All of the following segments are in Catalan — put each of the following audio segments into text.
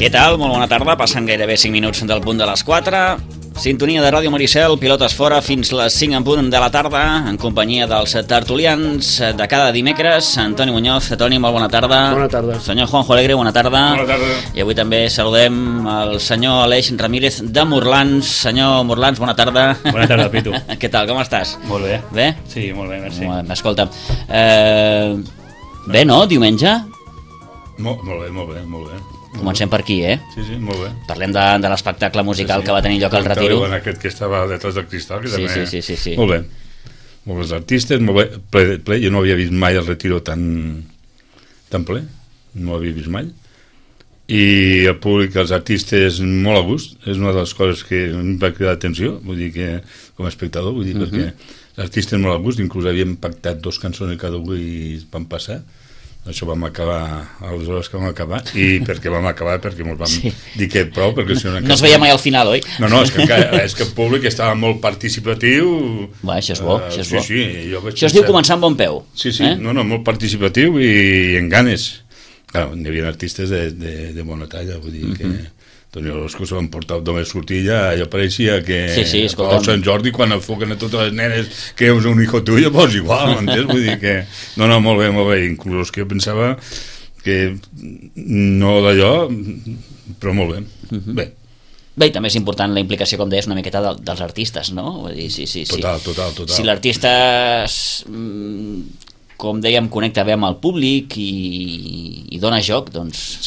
Què tal? Molt bona tarda. Passen gairebé 5 minuts del punt de les 4. Sintonia de Ràdio Maricel, pilotes fora fins les 5 en punt de la tarda, en companyia dels tertulians de cada dimecres. Antoni Muñoz. Toni, molt bona tarda. Bona tarda. Senyor Juanjo Alegre, bona tarda. Bona tarda. I avui també saludem el senyor Aleix Ramírez de Morlans. Senyor Morlans, bona tarda. Bona tarda, Pitu. Què tal, com estàs? Molt bé. Bé? Sí, molt bé, merci. Escolta, bé, no? Diumenge? Molt bé. Comencem per aquí, Sí, molt bé. Parlem de l'espectacle musical que va tenir lloc al Retiro. En aquest que estava detrás del cristal, que també... Sí. Molt bé. Molt bé, els artistes, molt bé, ple. Jo no havia vist mai el Retiro tan ple, no l'havia vist mai. I el públic, els artistes, molt a gust. És una de les coses que em va cridar l'atenció, vull dir que, com a espectador, vull dir, perquè els artistes molt a gust, inclús havíem pactat 2 cançons cada un i van passar. Això vam acabar a les hores que vam acabar. I perquè vam acabar, perquè ens vam dir que prou, perquè si no... No es veia mai al final, oi? No, és que el públic estava molt participatiu. Va, això és bo, això és bo. Sí, això es diu començar amb bon peu. Sí, molt participatiu i en ganes. Clar, hi havia artistes de bona talla, vull dir que... Toni Orozco se van portar només sortir ja, allò pareixia que escolta'm. a Sant Jordi quan enfoquen a totes les nenes que és un hijo tuyo, pues igual, m'entens? Vull dir que... No, molt bé, inclús que jo pensava que no d'allò, però molt bé. Bé, i també és important la implicació, com deies, una miqueta dels artistes, no? Vull dir, sí. Total. Si l'artista, com dèiem, connecta bé amb el públic i dona joc, doncs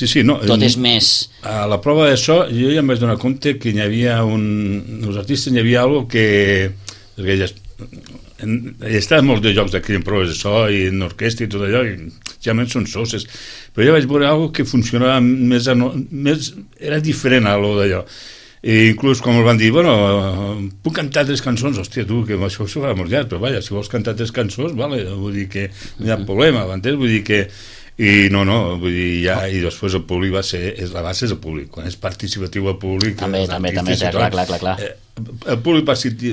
tot és més... A la prova d'això, jo ja em vaig donar compte que hi havia els artistes hi havia alguna que... Perquè hi estaven molts de jocs d'aquí en proves de so i en orquestra i tot allò, i generalment són soses, però ja vaig veure alguna que funcionava més era diferent a allò d'allò. I inclús quan em van dir, bueno, puc cantar 3 cançons, hòstia, tu, que això s'ho fa molt llarg, però vaja, si vols cantar 3 cançons, vale, vull dir que no hi ha problema, m'entens? Vull dir que... I no, vull dir, ja, i després el públic la base és el públic, quan és participatiu el públic... També, clar. El públic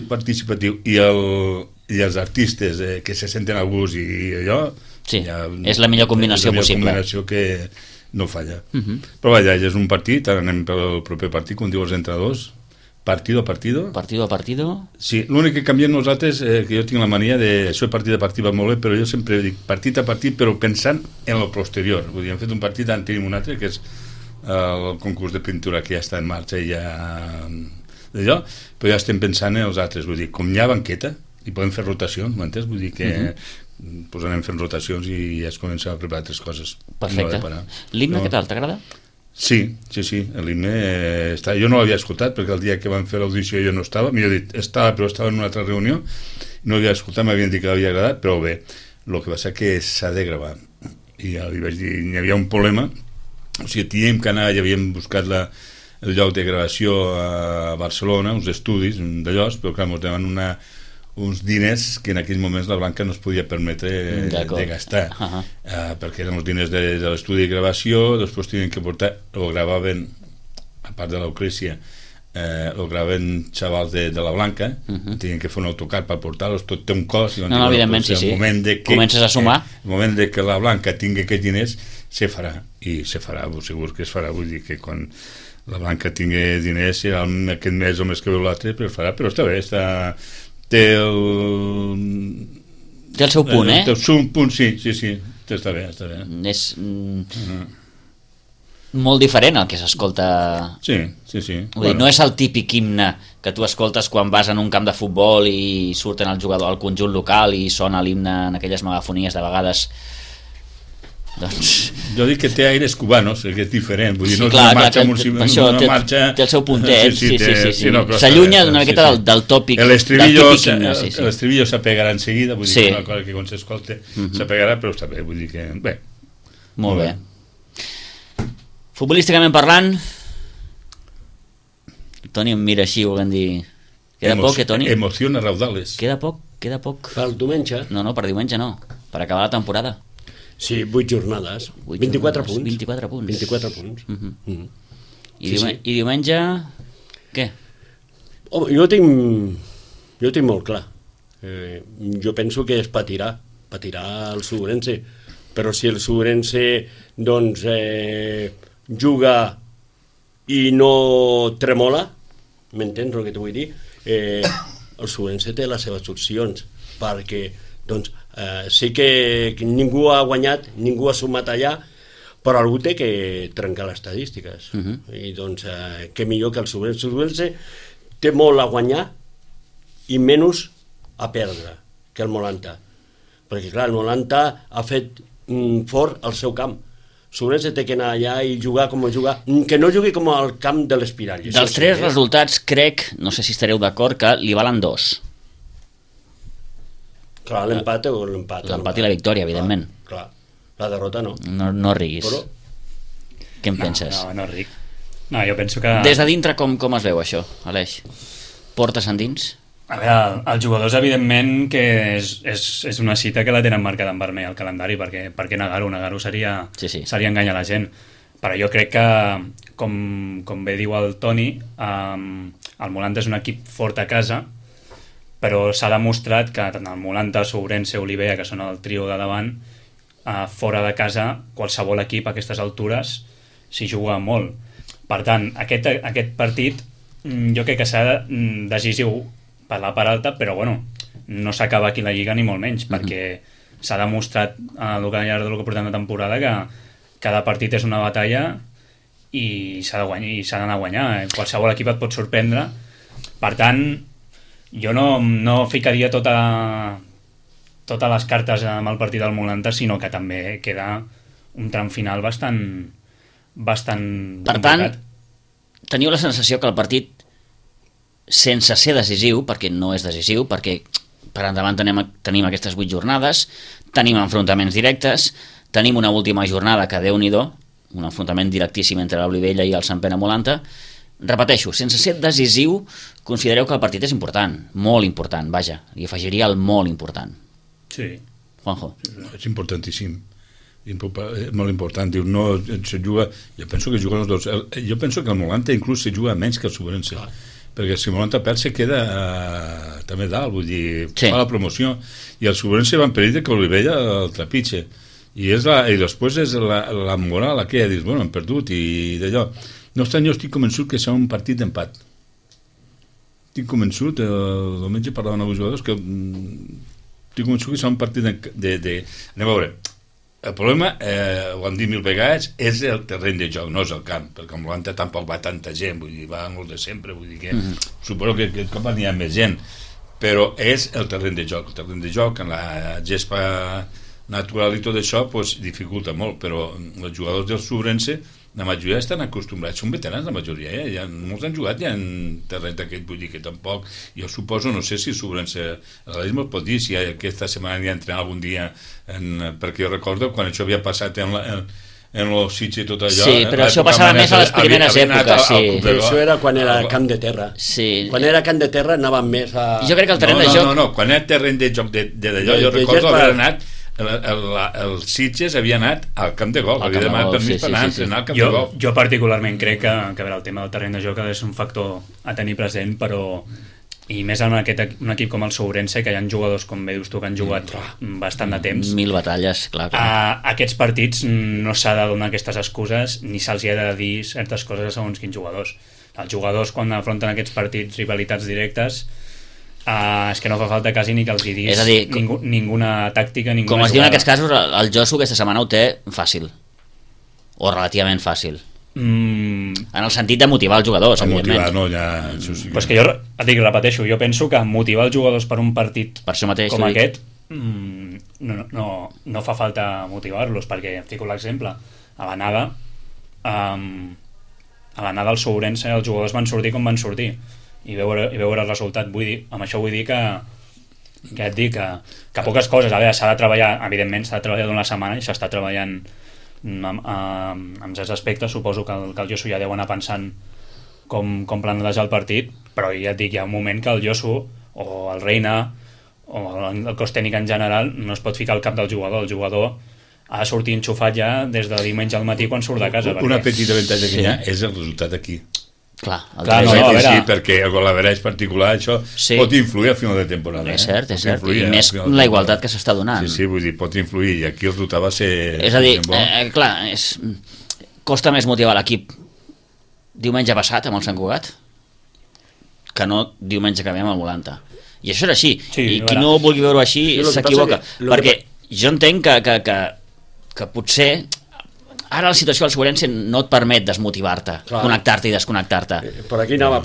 participatiu i els artistes que se senten a gust i allò... Sí, és la millor combinació possible. És la millor combinació que no falla. Però vaja, ja és un partit, ara anem pel proper partit, com diu els entrenadors, partido a partido. Partido a partido. Sí, l'únic que canviem nosaltres, que jo tinc la mania de... Això de partit a partit va molt bé, però jo sempre dic partit a partit, però pensant en el posterior. Vull dir, hem fet un partit, ara en tenim un altre, que és el concurs de pintura que ja està en marxa i ja... d'allò, però ja estem pensant en els altres. Vull dir, com hi ha banqueta, i podem fer rotacions, m'entens? Vull dir que... pues anem fent rotacions i ja es comença a preparar altres coses. Perfecte. L'himne, què tal? T'agrada? Sí, l'himne jo no l'havia escoltat perquè el dia que van fer l'audició jo no estava, millor dit, però estava en una altra reunió, no l'havia escoltat, m'havien dit que l'havia agradat, però bé, el que passa que s'ha de gravar i ja li vaig dir, hi havia un problema, o sigui, teníem que anar, ja havíem buscat el lloc de gravació a Barcelona, uns estudis d'allò, però clar, ens deman uns diners que en aquells moments la Blanca no es podia permetre de gastar, perquè eren els diners de l'estudi de gravació, després tenien que portar, o gravaven, a part de l'Eucrícia, o gravaven xavals de la Blanca, tenien que fer un autocar per portar-los, tot té un cost. No, evidentment, sí. Comences a sumar. El moment de que la Blanca tingui aquests diners, se farà, i se farà, segur que es farà, vull dir que quan la Blanca tingui diners, serà aquest mes o més que veu l'altre, però es farà, però està bé, té el seu punt, té el seu punt, sí, està bé. És molt diferent el que s'escolta. Sí. Vull dir, no és el típic himne que tu escoltes quan vas en un camp de futbol i surten el jugador al conjunt local i sona l'himne en aquelles megafonies de vegades. Doncs... Jo dic que té aires cubanos, que és diferent, vull dir, no és clar, una marxa, això una marxa... té el seu puntet, sí. No, s'allunya una miqueta del tòpic. L'estribillo s'apegarà en seguida, vull dir, una cosa que quan s'escolta s'apegarà, però està bé, vull dir que... Bé. Molt bé. Futbolísticament parlant, Toni em mira així, volem dir... Queda poc, Toni? Emocions raudales. Queda poc. Per diumenge? No, per diumenge no, per acabar la temporada. Sí, 8 jornades. 24 punts. 24 punts. 24 punts. I diumenge, què? Home, jo tinc molt clar. Jo penso que es patirà el Subrense, però si el Subrense doncs juga i no tremola, m'entens el que t'ho vull dir? El Subrense té les seves opcions, perquè doncs sí que ningú ha guanyat, ningú ha sumat allà, però algú té que trencar les estadístiques. I doncs què millor que el Subrense. El Subrense té molt a guanyar i menys a perdre que el Molanta, perquè clar, el Molanta ha fet fort el seu camp. El Subrense té que anar allà i jugar com a jugar, que no jugui com al camp de l'Espirall. Dels 3 resultats crec, no sé si estareu d'acord, que li valen 2. Clar, l'empat o l'empat. L'empat i la victòria, evidentment. Clar, la derrota no. No riguis. Però... Què en penses? No ric. No, jo penso que... Des de dintre com es veu això, Aleix? Portes endins? A veure, els jugadors evidentment que és una cita que la tenen marcada en vermell al calendari, perquè negar-ho seria enganyar la gent. Però jo crec que, com bé diu el Toni, el Molanta és un equip fort a casa, però s'ha demostrat que tant el Molanta, Sourense, Olivella, que són el trio de davant, fora de casa, qualsevol equip a aquestes altures s'hi juga molt. Per tant, aquest partit jo crec que serà decisiu per la part alta, però bueno, no s'acaba aquí la Lliga ni molt menys, perquè s'ha demostrat al llarg del que portem de temporada que cada partit és una batalla i s'ha d'anar a guanyar. Qualsevol equip et pot sorprendre. Per tant, jo no ficaria totes les cartes amb el partit del Molanta, sinó que també queda un tram final bastant per tant, teniu la sensació que el partit, sense ser decisiu, perquè no és decisiu, perquè per endavant tenim aquestes 8 jornades, tenim enfrontaments directes, tenim una última jornada que Déu-n'hi-do, un enfrontament directíssim entre l'Olivella i el Sant Pere Molanta. Repeteixo, sense ser decisiu, considereu que el partit és important, molt important, vaja, i afegiria el molt important. Sí. Juanjo. És importantíssim, molt important. Diu, no se juga, jo penso que juguen els dos. Jo penso que el Molanta inclús se juga menys que el Subrense, perquè si el Molanta perd se queda també dalt, vull dir, fa la promoció, i el Subrense va en perill que Olivella el trepitge, i després és la moral aquella, dius, bueno, hem perdut, i d'allò. No obstant, jo estic convençut que serà un partit d'empat. Estic convençut, el diumenge parlaven amb els jugadors, que estic convençut que serà un partit anem a veure, el problema, ho hem dit 1000 vegades, és el terreny de joc, no és el camp, perquè el Molanta tampoc va tanta gent, vull dir, va molt de sempre, vull dir que suposo que aquest cop n'hi ha més gent, però és el terreny de joc. El terreny de joc, en la gespa natural i tot això, pues, dificulta molt, però els jugadors del Subrense, la majoria estan acostumbrats, són veterans la majoria, molts han jugat ja en terreny d'aquest, vull dir que tampoc, jo suposo, no sé si el Subrense, l'Aleix me'l pot dir, si aquesta setmana anirà a entrenar algun dia, perquè jo recordo quan això havia passat en los Sitges i tot allò. Sí, però això passava més a les primeres èpoques, sí. Això era quan era camp de terra. Sí. Quan era camp de terra anàvem més a... Jo crec que el terreny de joc... No, quan era terreny de joc d'allò, jo recordo haver anat el Sitges havia anat al camp de golf, havia demanat permís per anar a entrenar al camp de golf. Jo particularment crec que el tema del terreny de joc és un factor a tenir present, però i més en un equip com el Sourense, que hi ha jugadors, com bé dius tu, que han jugat bastant de temps. 1000 batalles, clar. Aquests partits no s'ha de donar aquestes excuses, ni se'ls ha de dir certes coses a segons quins jugadors. Els jugadors, quan afronten aquests partits, rivalitats directes, és que no fa falta quasi ni que els hi diguis ninguna tàctica, ninguna com es jugada. diu en aquests casos, el Josu aquesta setmana ho té fàcil, o relativament fàcil. En el sentit de motivar els jugadors, motivar, evidentment. no, ja... Però és que jo et dic, repeteixo, jo penso que motivar els jugadors per un partit Per això mateix, com aquest no fa falta motivar-los, perquè em fico l'exemple a l'anada al Sourense els jugadors van sortir com van sortir i veure el resultat. Amb això vull dir que et dic que poques coses, a veure, s'ha de treballar, evidentment s'ha de treballar d'una setmana i s'està treballant amb certs aspectes. Suposo que el Josu ja deu anar pensant com planejar el partit, però ja et dic, hi ha un moment que el Josu o el Reina o el cos tècnic en general no es pot ficar al cap del jugador. El jugador ha de sortir enxufat ja des de diumenge al matí quan surt de casa. Una petita avantatge que hi ha és el resultat aquí. Clar, sí, perquè el golaveratge particular això pot influir al final de temporada. És cert, i més la igualtat que s'està donant. Sí, vull dir, pot influir, i aquí el resultat va ser... És a dir, clar, costa més motivar l'equip diumenge passat amb el Sant Cugat que no diumenge que ve amb el Volanta. I això és així, i qui no vulgui veure-ho així s'equivoca, perquè jo entenc que potser ara la situació del Sourense no et permet desmotivar-te, connectar-te i desconnectar-te. Per aquí anava.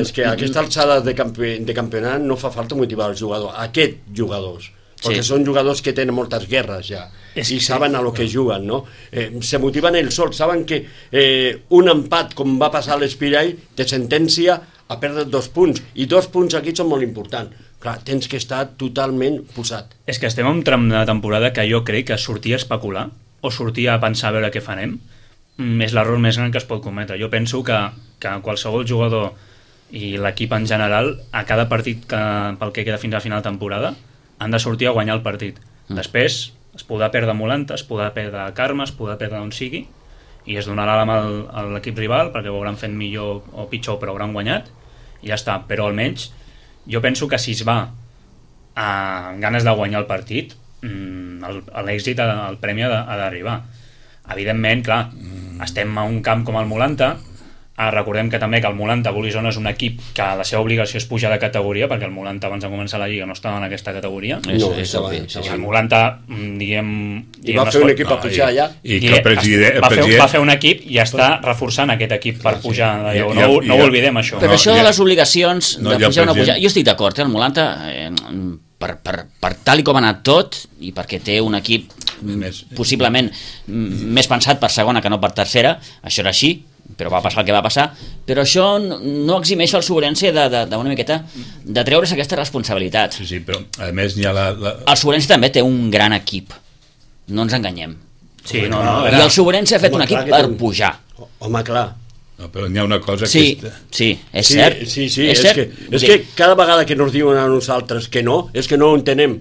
És que a aquesta alçada de campionat no fa falta motivar els jugadors, aquests jugadors, perquè són jugadors que tenen moltes guerres ja, i saben a lo que juguen, no? Se motiven ells sols, saben que un empat, com va passar a l'Espirall, te sentencia a perdre 2 punts, i 2 punts aquí són molt importants. Clar, tens que estar totalment posat. És que estem en un tram de temporada que jo crec que sortir a especular o sortir a pensar a veure què farem és l'error més gran que es pot cometre. Jo penso que qualsevol jugador i l'equip en general, a cada partit pel que queda fins a final de temporada, han de sortir a guanyar el partit. Després es podrà perdre Molanta, es podrà perdre Carme, es podrà perdre on sigui, i es donarà la mà a l'equip rival perquè ho hauran fet millor o pitjor, però hauran guanyat i ja està. Però almenys jo penso que si es va amb ganes de guanyar el partit, l'èxit, el premi ha d'arribar. Evidentment, clar, estem a un camp com el Molanta. Recordem que també que el Molanta Bolizona és un equip que la seva obligació és pujar de categoria, perquè el Molanta abans de començar la Lliga no estava en aquesta categoria. El Molanta, diguem... I va fer un equip a pujar allà. I que el president... Va fer un equip i està reforçant aquest equip per pujar. No ho oblidem, això. Però això de les obligacions de pujar o no pujar... Jo estic d'acord, el Molanta... Per tal i com ha anat tot, i perquè té un equip possiblement més pensat per segona que no per tercera, això era així, però va passar el que va passar, però això no eximeix el Sourense d'una miqueta de treure's aquesta responsabilitat. Sí, però a més hi ha el Sourense també té un gran equip, no ens enganyem. Sí, i el Sourense ha fet un equip per pujar. Home, clar. No, però n'hi ha una cosa que... Sí, és cert. Sí, és que cada vegada que ens diuen a nosaltres que no, és que no ho entenem.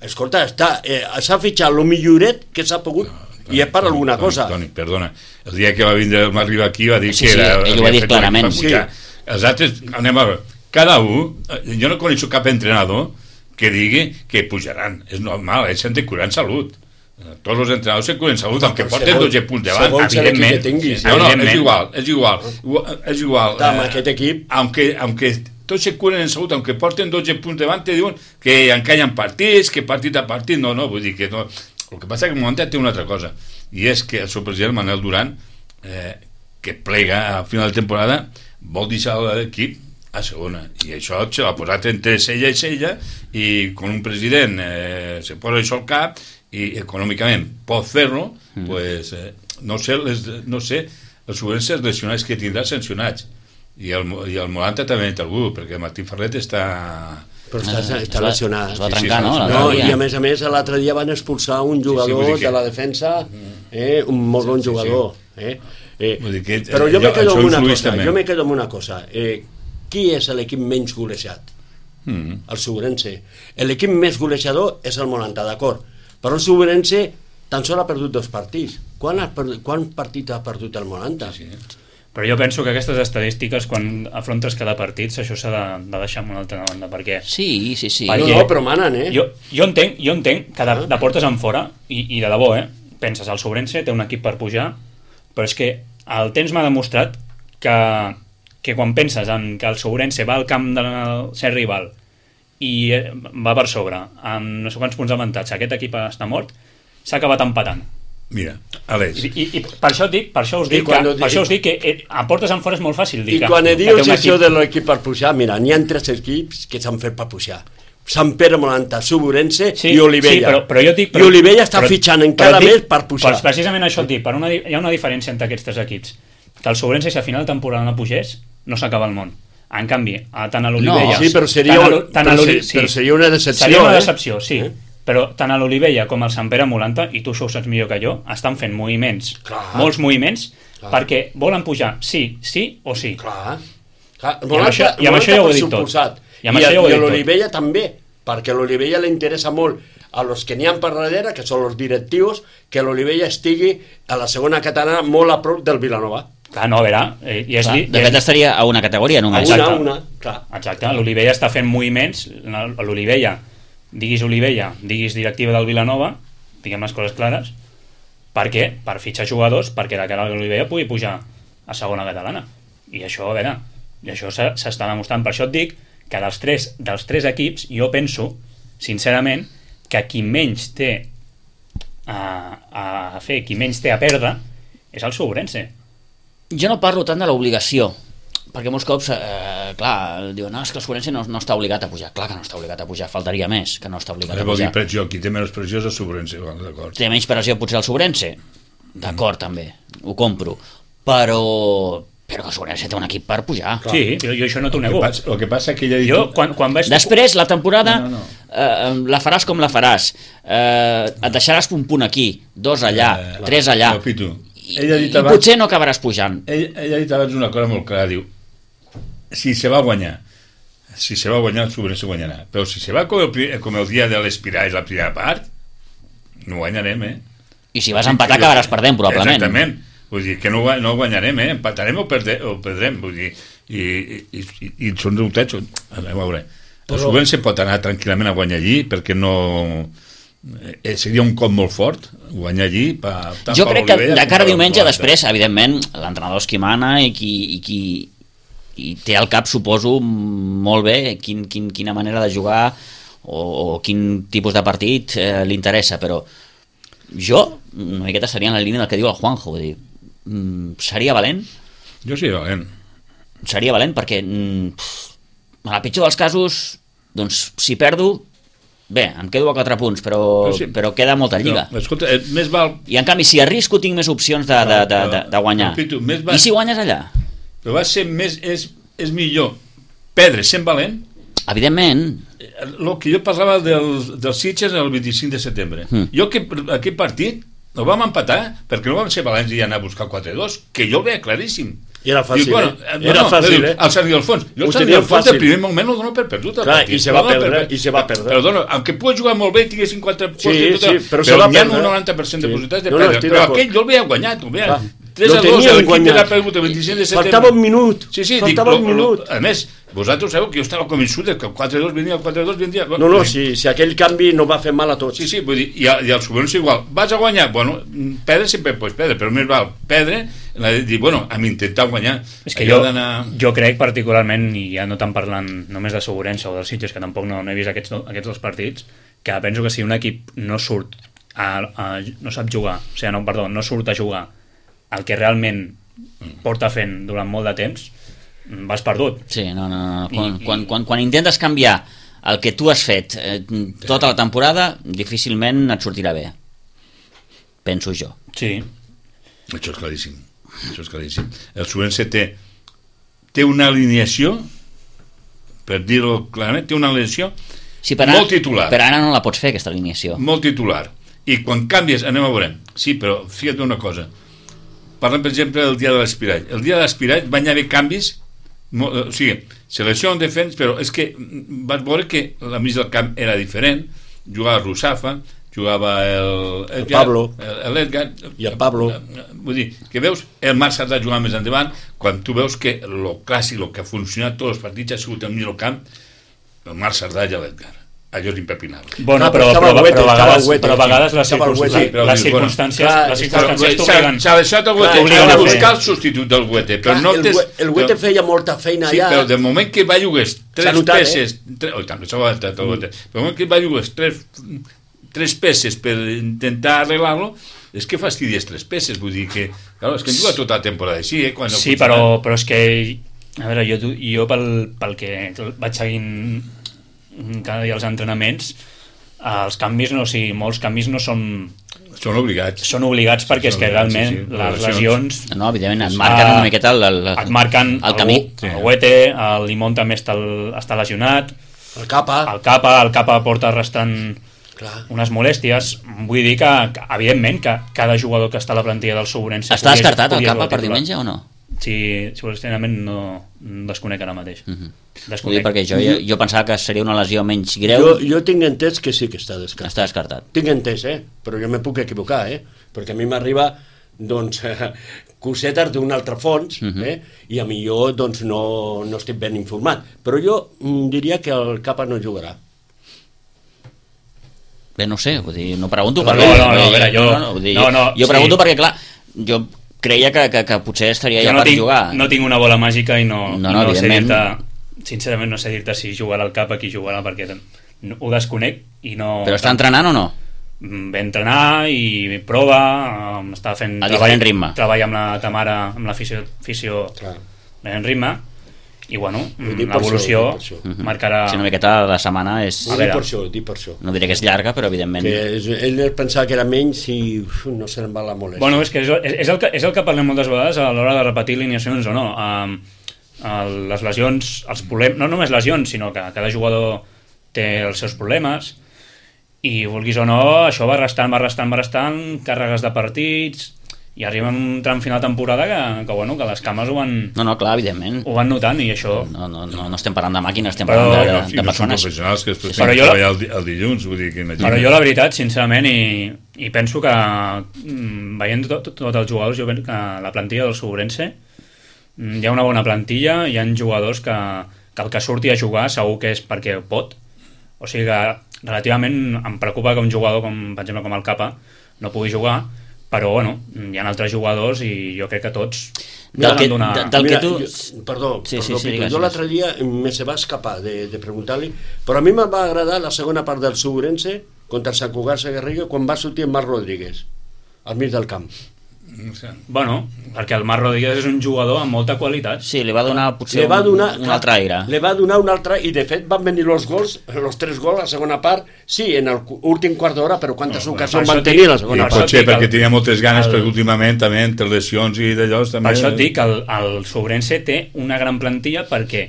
Escolta, s'ha fitxat el milloret que s'ha pogut, i és per alguna cosa. Toni, perdona, el dia que va arribar aquí va dir que era... ell ho va dir clarament. Els altres, anem a veure, cada un, jo no coneixo cap entrenador que digui que pujaran, és normal, ells s'han de curar en salut. Tots els entrenadors se curen salut, aunque porten 12 punts davant, evidentment. És igual. Amb aquest equip... Aunque tots se curen en salut, aunque porten 12 punts davant, te diuen que encallen partits, que partit a partit, no, vull dir que no. El que passa és que el Molanta té una altra cosa, i és que el seu president, Manel Duran, que plega a final de temporada, vol deixar l'equip a segona, i això se l'ha posat entre cella i cella, i quan un president se posa això al cap i econòmicament pot fer-lo, pues, no sé els Sourense lesionats que tindrà sancionats, i el Molanta també té algú, perquè Martín Ferret està lesionat. Es va trencar, no? I a més, l'altre dia van expulsar un jugador de la defensa, un molt bon jugador. Però jo me quedo amb una cosa. Qui és l'equip menys golejat? El Sourense. L'equip més golejador és el Molanta, d'acord, però el Sourense tan sols ha perdut 2 partits. Quant partit ha perdut el Molanta? Però jo penso que aquestes estadístiques, quan afrontes cada partit, això s'ha de deixar en una altra banda, perquè... Sí. No, però manen, Jo entenc que de portes en fora, i de debò, penses, el Sourense té un equip per pujar, però és que el temps m'ha demostrat que quan penses en que el Sourense va al camp del ser rival i va per sobre, amb no sé quants punts d'avantatge, aquest equip està mort, s'ha acabat empatant. Mira, Aleix. I per això us dic que a portes en fora és molt fàcil dir I quan dius això de l'equip per pujar, mira, n'hi ha 3 equips que s'han fet per pujar. Sant Pere Molanta, Suburense i Olivella. Sí, però jo dic... I Olivella està fitxant encara més per pujar. Però precisament això et dic, hi ha una diferència entre aquests 3 equips. Que el Suburense, si a final de temporada no pugés, no s'acaba el món. En canvi, tant a l'Olivella... No, sí, però seria una decepció. Seria una decepció, sí. Però tant a l'Olivella com al Sant Pere Molanta, i tu això ho saps millor que jo, estan fent moviments, molts moviments, perquè volen pujar sí o sí. Clar. I amb això ja ho he dit tot. I a l'Olivella també, perquè a l'Olivella li interessa molt a los que n'hi ha per darrere, que són els directius, que l'Olivella estigui a la segona catalana molt a prop del Vilanova. Clar, no, a veure... de fet estaria a una categoria només. A una, clar. Exacte, l'Olivella està fent moviments, l'Olivella, diguis Olivella, diguis directiva del Vilanova, diguem les coses clares, per què? Per fitxar jugadors perquè de cara a l'Olivella pugui pujar a segona catalana. I això, a veure, i això s'està demostrant. Per això et dic que dels tres equips, jo penso, sincerament, que qui menys té a fer, qui menys té a perdre, és el Suburense. Jo no parlo tant de l'obligació, perquè molts cops, clar, diuen, no, és que el Suburense no està obligat a pujar. Clar que no està obligat a pujar, faltaria més que no està obligat a pujar. Vol dir pressió, qui té menys pressió és el Suburense, d'acord. Té menys pressió potser el Suburense, d'acord, també, ho compro, però que el Suburense té un equip per pujar. Clar. Sí, jo això no t'ho nego. El que passa que ella ha dit... Jo, quan vaig... Després, la temporada, la faràs com la faràs, et deixaràs un punt aquí, 2 allà, 3 allà, i potser no acabaràs pujant. Ella ha dit abans una cosa molt clara, diu, si se va guanyar el Suburense guanyarà, però si se va com el dia de l'Espirà és la primera part, no guanyarem, I si vas empatar acabaràs perdent, probablement. Exactament, vull dir que no guanyarem, empatarem o perdrem, vull dir, i són resultats, a veure, el Suburense pot anar tranquil·lament a guanyar allí, perquè no... seria un cop molt fort guanyar allí jo crec que de cara a diumenge després evidentment l'entrenador és qui mana i qui té al cap, suposo, molt bé quina manera de jugar o quin tipus de partit li interessa, però jo una miqueta seria en la línia del que diu el Juanjo, vull dir, seria valent? Jo seria valent perquè en el pitjor dels casos doncs si perdo bé, em quedo a 4 punts, però queda molta lliga. No, escolta, més val... I en canvi, si arrisco, tinc més opcions de guanyar. I si guanyes allà? Però va ser més... És millor perdre sent valent... Evidentment. El que jo parlava dels Sitges el 25 de setembre. Jo aquest partit el vam empatar perquè no vam ser valents i anar a buscar 4-2, que jo el veia claríssim. I era fàcil, era fàcil, el Sergi Alfons. Jo el Sergi Alfons del primer moment el dono per perdut. Clar, i se va perdre. Perdona, aunque pugui jugar molt bé, tingués 50 punts, però se va perdre. Però hi ha un 90% de possibilitats de perdre. Però aquell jo el veia guanyat, 3-2, l'equip era perdut el 25 de setembre. Faltava un minut. Faltava un minut. A més, vosaltres sabeu que jo estava convençut que el 4-2 venia... No, si aquell canvi no va fer mal a tots. Sí, vull dir, i el Suburense igual. Vas a guanyar? Bueno, perdre sempre pots perdre, però més val perdre, dir, bueno, hem intentat guanyar. És que jo crec particularment, i ja no tant parlant només de Suburense o dels Sitges, que tampoc no he vist aquests 2 partits, que penso que si un equip no surt no sap jugar, o sigui, no surt a jugar el que realment porta fent durant molt de temps, vas perdut. Sí, no. Quan intentes canviar el que tu has fet tota la temporada, difícilment et sortirà bé. Penso jo. Sí. Això és claríssim. El Suburense té una alineació, per dir-ho clarament, té una alineació molt titular. Però ara no la pots fer, aquesta alineació. Molt titular. I quan canvies, anem a veure. Sí, però fíjate una cosa. Parlem, per exemple, del dia de l'Espirall. El dia de l'Espirall van haver canvis, o sigui, selecció en defensa, però és que vas veure que la mig del camp era diferent. Jugava Rusafa, jugava el Pablo, l'Edgar i el Pablo. Vull dir, que veus el Marc Sardà jugant més endavant, quan tu veus que el clàssic, el que ha funcionat tots els partits ha sigut el millor camp, el Marc Sardà i l'Edgar. Allò és impepinable. Bueno, però a vegades les circumstàncies t'obliguen. S'ha deixat el Güete, s'ha de buscar el substitut del Güete. El Güete feia molta feina allà. Sí, però de moment que va llogués 3 peces... Oi, també s'ha avançat el Güete. De moment que va llogués 3 peces per intentar arreglar-lo, és que fastidies 3 peces, vull dir que, clar, és que hem jugat tota la temporada així, Sí, però és que, a veure, jo pel que vaig seguint cada dia els entrenaments, els canvis, molts canvis no són... Són obligats. Són obligats perquè és que realment les lesions... No, evidentment, et marquen una miqueta et marquen el camí. El Huete, el Limón també està lesionat, el Capa porta arrastrant unes molèsties. Vull dir que evidentment, que cada jugador que està a la plantilla del Sourense... Està descartat el Capa per diumenge o no? Sí, sincerament no desconec ara mateix. Vull dir, perquè jo pensava que seria una lesió menys greu. Jo tinc entès que sí que està descartat. Està descartat. Tinc entès, però jo me puc equivocar, perquè a mi m'arriba doncs, cosetes d'un altre fons, i a mi jo doncs, no estic ben informat. Però jo diria que el Capa no jugarà. Bé, no sé, vull dir, no pregunto jo pregunto perquè, clar, jo creia que potser estaria ja per jugar. No tinc una bola màgica i no sé dir-te, sincerament no sé dir-te si jugarà al Capa, qui jugarà, perquè ho desconec i no... Però està entrenant o no? Ve a entrenar i prova, està fent treball amb la Tamara, amb la fisio en ritme, i bueno, l'evolució marcarà... Si una miqueta de setmana és... Dic per això. No diré que és llarga, però evidentment... Ell pensava que era menys i no se'n va la molèstia. Bueno, és que és el que parlem moltes vegades a l'hora de repetir alineacions o no. Les lesions, els problemes, no només lesions, sinó que cada jugador té els seus problemes, i vulguis o no, això va restant càrregues de partits, i arriba un tram final de temporada que les cames ho van... No, clar, evidentment. Ho van notant, i això... No estem parlant de màquines, estem parlant de persones. Professionals que després tenen que treballar el dilluns, vull dir que... Però jo, la veritat, sincerament, i penso que veient tots els jugadors, jo penso que la plantilla del Sourense hi ha una bona plantilla, hi ha jugadors que el que surti a jugar segur que és perquè pot, o sigui que relativament em preocupa que un jugador per exemple com el Capa no pugui jugar, però bueno, hi ha altres jugadors i jo crec que tots Perdó, jo l'altre dia se va escapar de preguntar-li, però a mi em va agradar la segona part del Sourense contra Sant Cugat Sagarriga quan va sortir en Marc Rodríguez al mig del camp. Bueno, perquè el Marc Rodríguez és un jugador amb molta qualitat. Sí, li va donar potser un altre aire. Li va donar un altre, i de fet van venir els 3 gols a la segona part, sí, en l'últim quart d'hora, però quantes ocasions van tenir a la segona part? Potser perquè tenia moltes ganes, perquè últimament també entre lesions i d'allò... Per això et dic que el Sourense té una gran plantilla perquè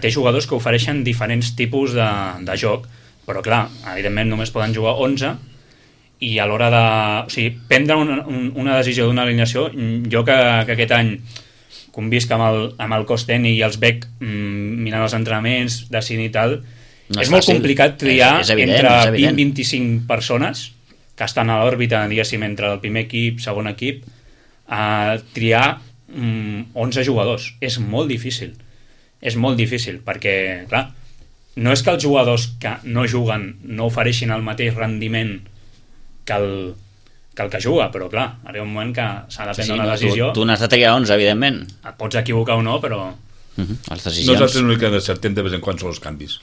té jugadors que ofereixen diferents tipus de joc, però clar, evidentment només poden jugar 11, i a l'hora de... O sigui, prendre una decisió d'una alineació, jo que aquest any convisc amb el cos tècnic i els veig mirant els entrenaments, decidint i tal, és molt complicat triar entre 20 i 25 persones que estan a l'òrbita, diguéssim, entre el primer equip, segon equip, a triar 11 jugadors. És molt difícil. És molt difícil, perquè, clar, no és que els jugadors que no juguen no ofereixin el mateix rendiment que el que juga, però clar, arriba un moment que s'ha de prendre una decisió. Tu n'has de triar 11, evidentment. Et pots equivocar o no, però... Les decisions... Nosaltres l'únic que encertem de vez en quan són els canvis.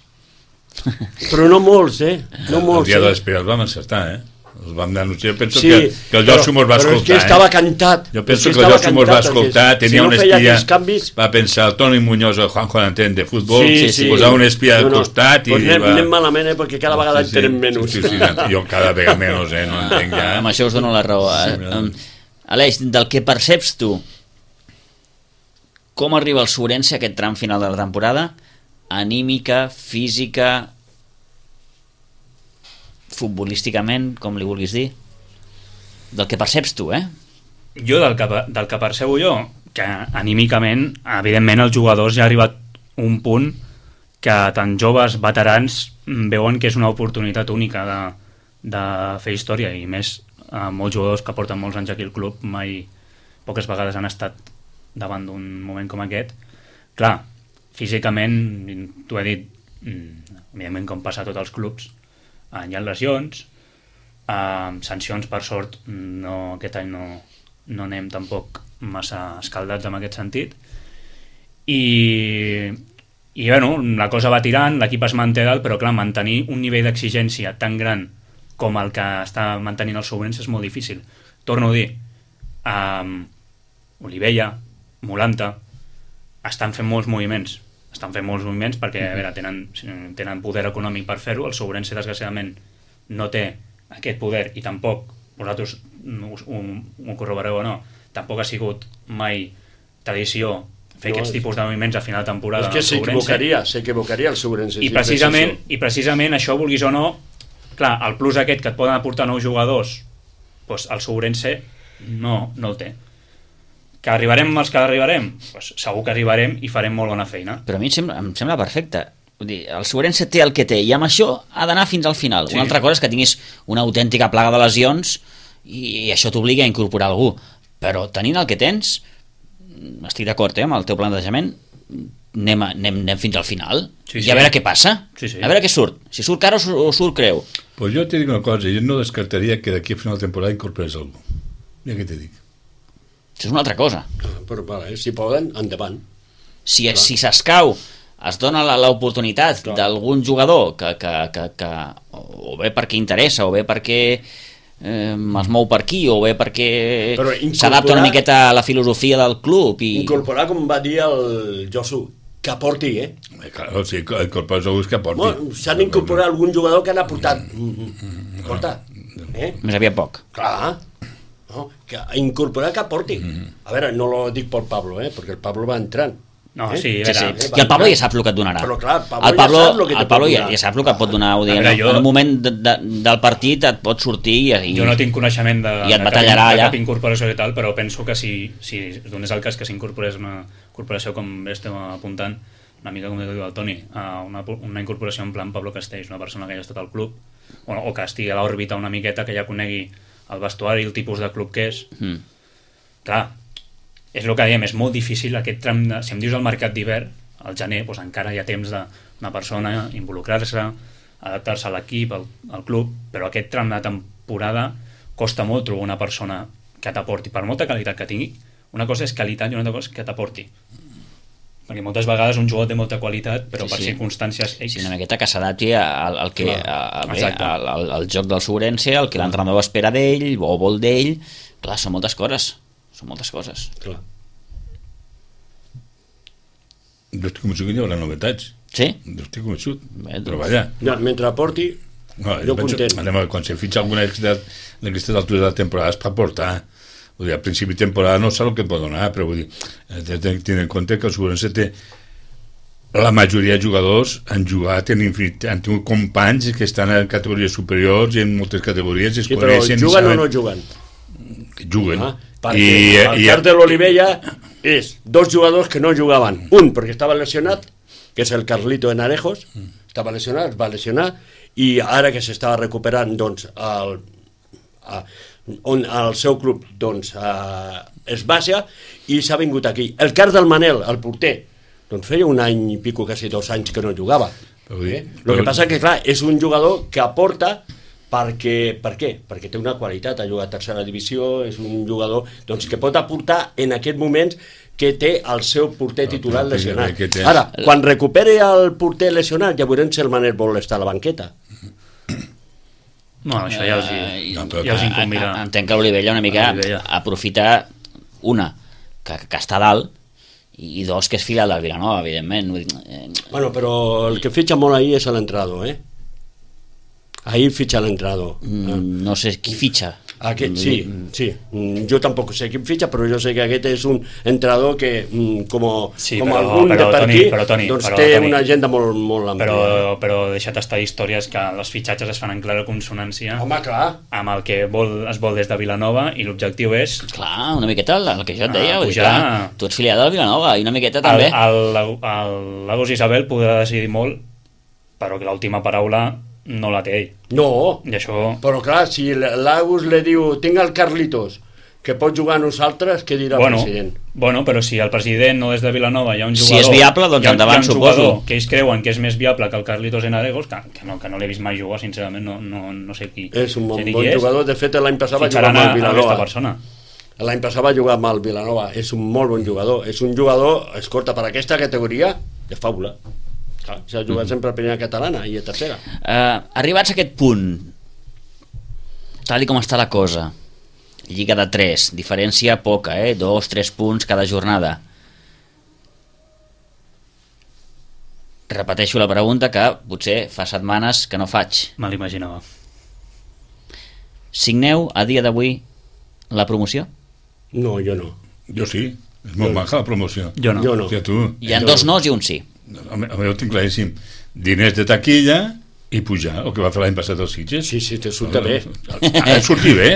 Però no molts, no molts. El dia de l'Espera els vam encertar, els vam anunciar. Penso que el Josu mos va escoltar. Però és que estava cantat. Jo penso que el Josu mos va escoltar, tenia un espia, va pensar el Toni Muñoz, el Juanjo D'Antén de futbol, posar un espia al costat i... Anem malament, perquè cada vegada en tenen menys. Jo cada vegada menys, no entenc ja. Amb això us dono la raó. Aleix, del que perceps tu, com arriba el Sourense a aquest tram final de la temporada? Anímica, física... futbolísticament, com li vulguis dir, del que perceps tu, Jo, del que percebo jo, que anímicament, evidentment, els jugadors ja ha arribat un punt que tant joves, veterans, veuen que és una oportunitat única de fer història, i més molts jugadors que porten molts anys aquí al club mai, poques vegades han estat davant d'un moment com aquest. Clar, físicament, t'ho he dit, evidentment com passa a tots els clubs, hi ha lesions, sancions per sort aquest any no anem tampoc massa escaldats en aquest sentit, i I bueno, la cosa va tirant, l'equip es manté dalt, però clar, mantenir un nivell d'exigència tan gran com el que està mantenint el Sourense és molt difícil. Torno a dir, Olivella, Molanta, estan fent molts moviments perquè a veure, tenen poder econòmic per fer-ho. El Sourense, desgraciadament, no té aquest poder i tampoc, vosaltres ho corroboreu o no, tampoc ha sigut mai tradició fer aquests tipus de moviments a final de temporada. És que s'equivocaria el Sourense. I precisament això, vulguis o no, clar, el plus aquest que et poden aportar nous jugadors, doncs el Sourense no el té. Que arribarem els que arribarem? Doncs segur que arribarem i farem molt bona feina. Però a mi em sembla perfecte. Vull dir, el Sourense té el que té i amb això ha d'anar fins al final. Una altra cosa és que tinguis una autèntica plaga de lesions i això t'obliga a incorporar algú. Però tenint el que tens, estic d'acord amb el teu plantejament, anem fins al final i a veure què passa, a veure què surt, si surt cara o surt creu. Pues jo te dic una cosa, jo no descartaria que d'aquí a final de temporada incorporés algú. Mira què te dic. Això és una altra cosa. Però si poden, endavant. Si s'escau, es dona l'oportunitat d'algun jugador que o bé perquè interessa o bé perquè es mou per aquí o bé perquè s'adapta una miqueta a la filosofia del club i... Incorporar, com va dir el Josu, que aporti, Claro, si incorpores algú que aporti. S'han d'incorporar algun jugador que han aportat. Més aviat poc. Clar, que incorporar que aporti. A veure, no lo dic per Pablo, perquè el Pablo va entrant. No, sí. I el Pablo ja saps el que et donarà. Però clar, el Pablo ja sap el que et pot donar. En un moment del partit et pot sortir i jo no tinc coneixement de cap incorporació i tal, però penso que si es donés el cas que s'incorporés una incorporació com estem apuntant, una mica com diu el Toni, una incorporació en plan Pablo Castells, una persona que ja ha estat al club o que estigui a l'òrbita una miqueta, que ja conegui el vestuari i el tipus de club que és. Clar, és el que dèiem, és molt difícil aquest tram de... Si em dius el mercat d'hivern, al gener, doncs encara hi ha temps d'una persona involucrar-se, adaptar-se a l'equip, al club, però aquest tram de temporada costa molt trobar una persona que t'aporti, per molta qualitat que tingui. Una cosa és qualitat i una altra cosa és que t'aporti. Perquè moltes vegades un jugador té molta qualitat, però per circumstàncies X... Sí, una miqueta que s'adapti al joc del Sourense, al que l'entrenador espera d'ell o vol d'ell. Clar, són moltes coses. Clar. Jo estic convençut que hi haurà novetats. Sí? Jo estic convençut. Però vaja. Mentre aporti, jo content. Quan se fitxa alguna d'aquestes altures de la temporada és per aportar. Vull dir, al principi de temporada no sap el que pot donar, però vull dir, tenint en compte que el Sourense té la majoria de jugadors han jugat han tingut companys que estan en categories superiors i en moltes categories es coneixen. Però juguen o no juguen? Juguen. Perquè el cas de l'Olivella és dos jugadors que no jugaven. Un perquè estava lesionat, que és el Carlito Enarejos, estava lesionat, es va lesionar, i ara que s'estava recuperant, doncs, el seu club es baixa i s'ha vingut aquí. El cas del Manel, el porter, doncs feia un any i pico, quasi 2 anys que no jugava. El que passa que, clar, és un jugador que aporta per què? Perquè té una qualitat, ha jugat a tercera divisió, és un jugador doncs, que pot aportar en aquest moment que té el seu porter titular lesionat. Ara, quan recuperi el porter lesionat, ja veurem si el Manel vol estar a la banqueta. No, això ja els incombirà. Entenc que l'Olivella una mica aprofita una, que està dalt, i dos, que és filial del Vilanova, evidentment. Bueno, però el que fitxa molt ahir és l'entrenador, Ahir fitxa l'entrenador. No sé qui fitxa. Sí. Jo tampoc sé qui fitxa, però jo sé que aquest és un entrenador que, com algun de per aquí, doncs té una agenda molt àmplia. Però deixa't estar històries que els fitxatges es fan en clara consonància amb el que es vol des de Vilanova, i l'objectiu és... Clar, una miqueta el que jo et deia. Tu ets filial del Vilanova i una miqueta també. El Lagos Isabel podrà decidir molt, però que l'última paraula no la té ell. No, i això... però clar, si l'Agus li diu tinc el Carlitos, que pot jugar a nosaltres, què dirà el president? Bueno, però si el president no és de Vilanova, hi ha un jugador... Si és viable, doncs endavant, suposo. Que ells creuen que és més viable que el Carlitos Enarejos, que no l'he vist mai jugar, sincerament, no sé qui... És un bon jugador, de fet l'any passat va jugar amb el Vilanova. L'any passat va jugar amb el Vilanova, és un molt bon jugador. És un jugador, escolta, per aquesta categoria, de faula. Clar, s'ha jugat sempre a primera catalana i a tercera. Arribats a aquest punt, tal com està la cosa, lliga de 3, diferència poca, 2-3 punts cada jornada. Repeteixo la pregunta que potser fa setmanes que no faig. Me l'imaginava. Signeu a dia d'avui la promoció? No, jo no. Jo sí, és molt maca la promoció. Jo no. Hòstia, tu. Hi ha 2 nos i un sí. Home, jo ho tinc claríssim. Diners de taquilla i pujar, el que va fer l'any passat els Sitges. Sí, te surta bé. Sortir bé.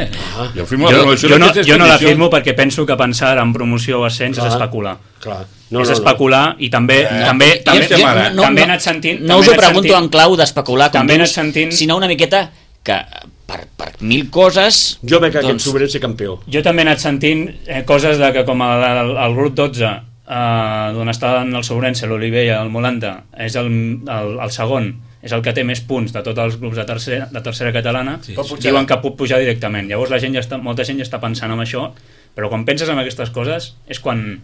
Jo no la firmo perquè penso que pensar en promoció o ascens és especular. Clar. És especular i també he anat sentint... No us ho pregunto en clau d'especular, també he anat sentint... sinó una miqueta que per 1000 coses... Jo veig que aquest Sobrense campió. Jo també he anat sentint coses de que com el grup 12 d'on estan el Sobrense, l'Olivella, el Molanta, és el segon, és el que té més punts de tots els grups de tercera catalana, diuen que pot pujar directament. Llavors molta gent ja està pensant en això, però quan penses en aquestes coses és quan...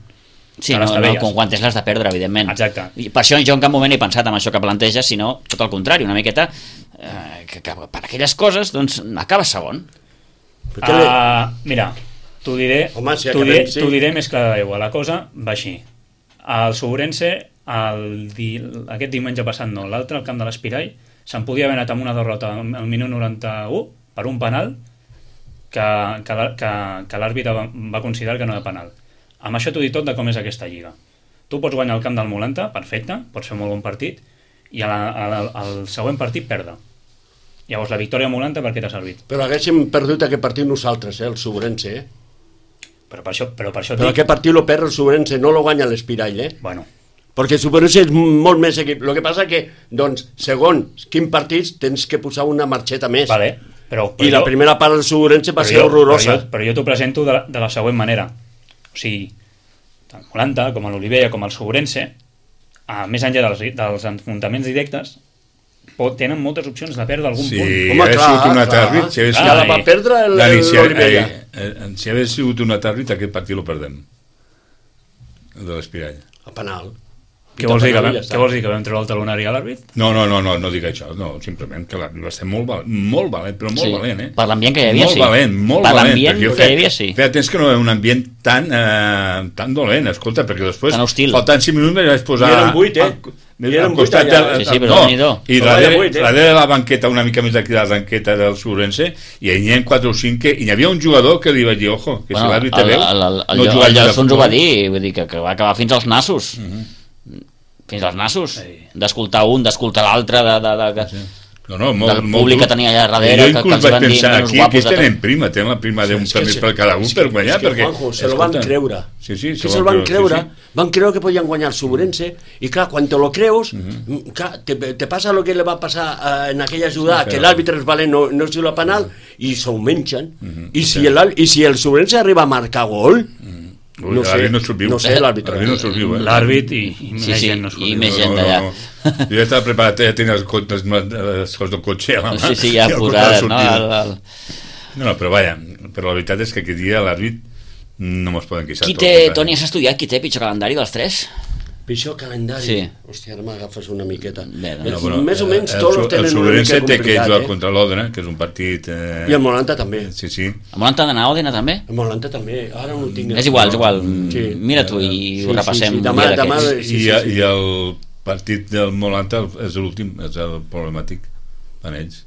Sí, quan tens les de perdre, evidentment. Exacte. I per això jo en cap moment he pensat en això que planteges, sinó tot el contrari, una miqueta que per aquelles coses doncs acaba segon. Mira, t'ho diré, t'ho diré més clar d'aigua. La cosa va així. El Sobrense aquest diumenge passat no, l'altre al camp de l'Espirall se'n podia haver anat amb una derrota al minut 91 per un penal que l'àrbitre va considerar que no era penal. Amb això t'ho dic tot de com és aquesta lliga. Tu pots guanyar el camp del Molanta, perfecte, pots fer molt bon partit, i al següent partit perdre. Llavors la victòria a Molanta per què t'ha servit? Però haguéssim perdut aquest partit nosaltres, el Sobrense, Però per això Però aquest partit lo perd el Sobrense, no lo guanya l'Espirall, Bueno. Perquè el Sobrense és molt més equip. El que passa que, doncs, segons quin partits tens que posar una marxeta més. Vale, però I la primera part del Sobrense va ser horrorosa. Però jo t'ho presento de la següent manera. O sigui, tant Molanta com l'Olivella com el Sobrense, més enllà dels enfrontaments directes, tenen moltes opcions de perdre algun punt. Home, clar. Ja la va perdre l'Olivella. Si hagués sigut un atàrbit, aquest partit lo perdem. El de l'Espirall. A penal. Què vols dir, que vam treure el talonari a l'àrbit? No dic això, no, simplement que l'àrbit va ser molt valent, però molt valent, Per l'ambient que hi havia, sí. Molt valent. Per l'ambient que hi havia, sí. Feia temps que no hi havia un ambient tan dolent, escolta, perquè després, tan hostil. Faltant 5 minuts, vaig posar... I eren 8, al costat Sí, però no. I darrere de la banqueta, una mica més d'aquí de la banqueta del Sobrense, i hi havia 4 o 5 que hi havia un jugador que li va dir, ojo, que si l'àrbit te veu... El Llafons ho va dir, vull dir que va acabar fins als nassos. Fins als nassos, d'escoltar un, d'escoltar l'altre, del públic que tenia allà darrere, que els van dir menys guapos. Aquí tenen prima, tenen la prima d'un premi per cada un per guanyar. Juanjo, se lo van creure. Sí, se lo van creure. Van creure que podien guanyar el Sobrense, i clar, quan te lo creus, te passa lo que le va passar en aquella jugada, que l'àrbitre és valent, no és la penal, i s'ho mengen. I si el Sobrense arriba a marcar gol... No sé l'àrbitre. L'àrbit i més gent no i més gent d'allà. Jo ja estava preparat, ja tenia els coses del cotxe a la mà. Sí, ja posades, no? No, però vaja, però la veritat és que aquest dia l'àrbit no mos poden queixar. Toni, has estudiat qui té pitjor calendari dels 3? Pitjor calendari? Sí. Hòstia, ara m'agafes una miqueta. Més o menys tots tenen una mica complicat. El Sobrense té que jugar contra l'Òdena, que és un partit... I el Molanta també. Sí. El Molanta ha d'anar a Òdena també? El Molanta també, ara no ho tinc. És igual. Mira tu i ho repassem. I el partit del Molanta és l'últim, és el problemàtic en ells.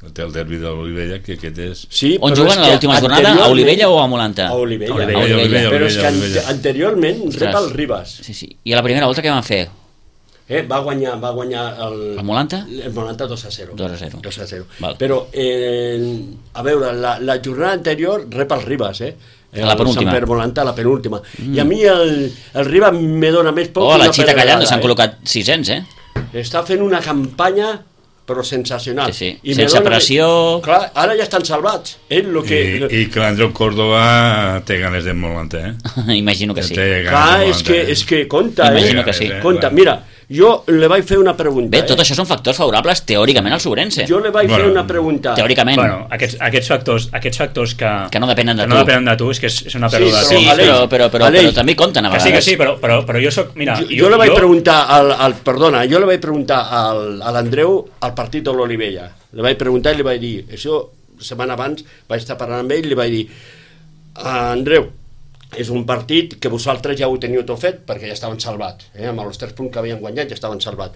Té el derbi de l'Olivella, que aquest és... On juguen a l'última jornada? A Olivella o a Molanta? A Olivella. Però és que anteriorment rep el Ribas. Sí. I a la primera volta què van fer? Va guanyar el Molanta? El Molanta 2-0. 2-0. Però, a veure, la jornada anterior rep el Ribas, la penúltima. Sant Pere Molanta, la penúltima. I a mi el Ribas me dona més poc. La Xita Callando s'han col·locat 600, Està fent una campanya però sensacional. Sí. Sense pressió... Clar, ara ja estan salvats. I que l'Andreu Córdoba té ganes de Molanta, Imagino que sí. Clar, és que compta, Imagino que sí. Compta, mira, Jo le vaig fer una pregunta. Bé, tot això són factors favorables teòricament al Sobrense. Jo le vaig fer una pregunta. Teòricament. Bueno, aquests factors que no depenen de tu. No depenen de tu, és que és una pèrdua. Sí, però també compten a vegades. Que sí, però jo soc... Mira, jo le vaig preguntar jo le vaig preguntar a l'Andreu al partit de l'Olivella. Le vaig preguntar i li vaig dir, això setmana abans vaig estar parlant amb ell i li vaig dir, Andreu, és un partit que vosaltres ja ho teniu tot fet perquè ja estaven salvats, amb els 3 punts que havien guanyat ja estaven salvats.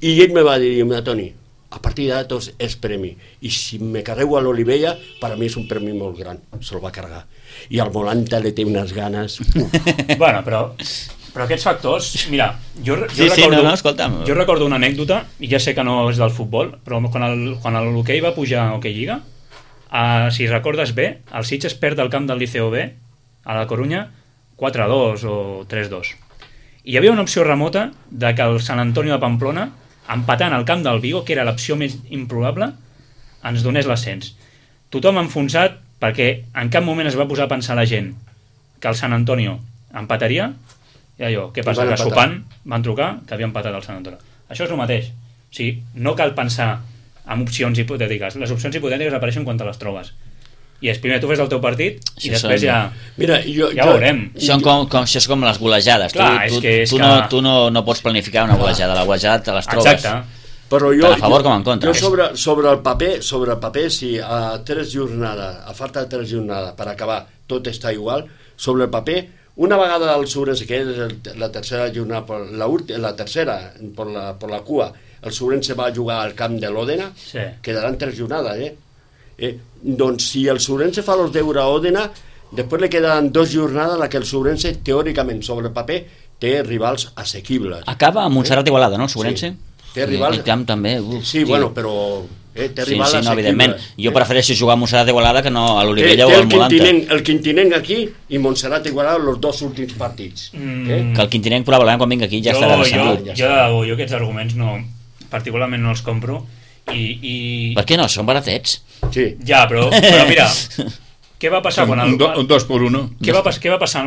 I ell me va dir, Toni, a partir d'ara tot és premi, i si me carrego a l'Olivella, per a mi és un premi molt gran. Se'l va carregar. I al Molanta li té unes ganes. Bueno, però aquests factors, mira, jo recordo una anècdota, i ja sé que no és del futbol, però quan l'hoquei va pujar a Hockey Lliga, si recordes bé, el Sitges perd el camp del Liceo B a la Corunya 4-2 o 3-2. I hi havia una opció remota de que el Sant Antonio de Pamplona, empatant al camp del Vigo, que era l'opció més improbable, ens donés l'ascens. Tothom enfonsat perquè en cap moment es va posar a pensar la gent que el Sant Antonio empataria, i allò, què passa? Que sopant van trucar que havia empatat el Sant Antonio. Això és el mateix. O sigui, no cal pensar en opcions hipotètiques. Les opcions hipotètiques apareixen quan te les trobes. I primer tu fes el teu partit i després ja veurem. Això és com les golejades. Tu no pots planificar una golejada. La golejada te les trobes. Exacte. Però tant a favor com en contra. Sobre el paper, si a 3 jornades, a falta de 3 jornades per acabar, tot està igual, sobre el paper, una vegada el Sobrense, que és la tercera jornada, la tercera per la cua, el Sobrense va jugar al camp de l'Òdena, quedaran 3 jornades, doncs si el Sobrense fa els deures a Òdena, després li quedaran 2 jornades en què el Sobrense, teòricament, sobre el paper, té rivals assequibles. Acaba a Montserrat Igualada, no, el Sobrense? Té rivals... El camp també. Sí, bueno, però té rivals assequibles. Evidentment. Jo prefereixo jugar a Montserrat Igualada que no a l'Olivella o al Molanta. El Quintinenc aquí i Montserrat Igualada els 2 últims partits. Que el Quintinenc probablement quan vinga aquí ja estarà descendut. Jo aquests arguments particularment no els compro. Per què no? Són baratets. Sí. Ja, però mira, què va passar quan un 2x1? Què va passar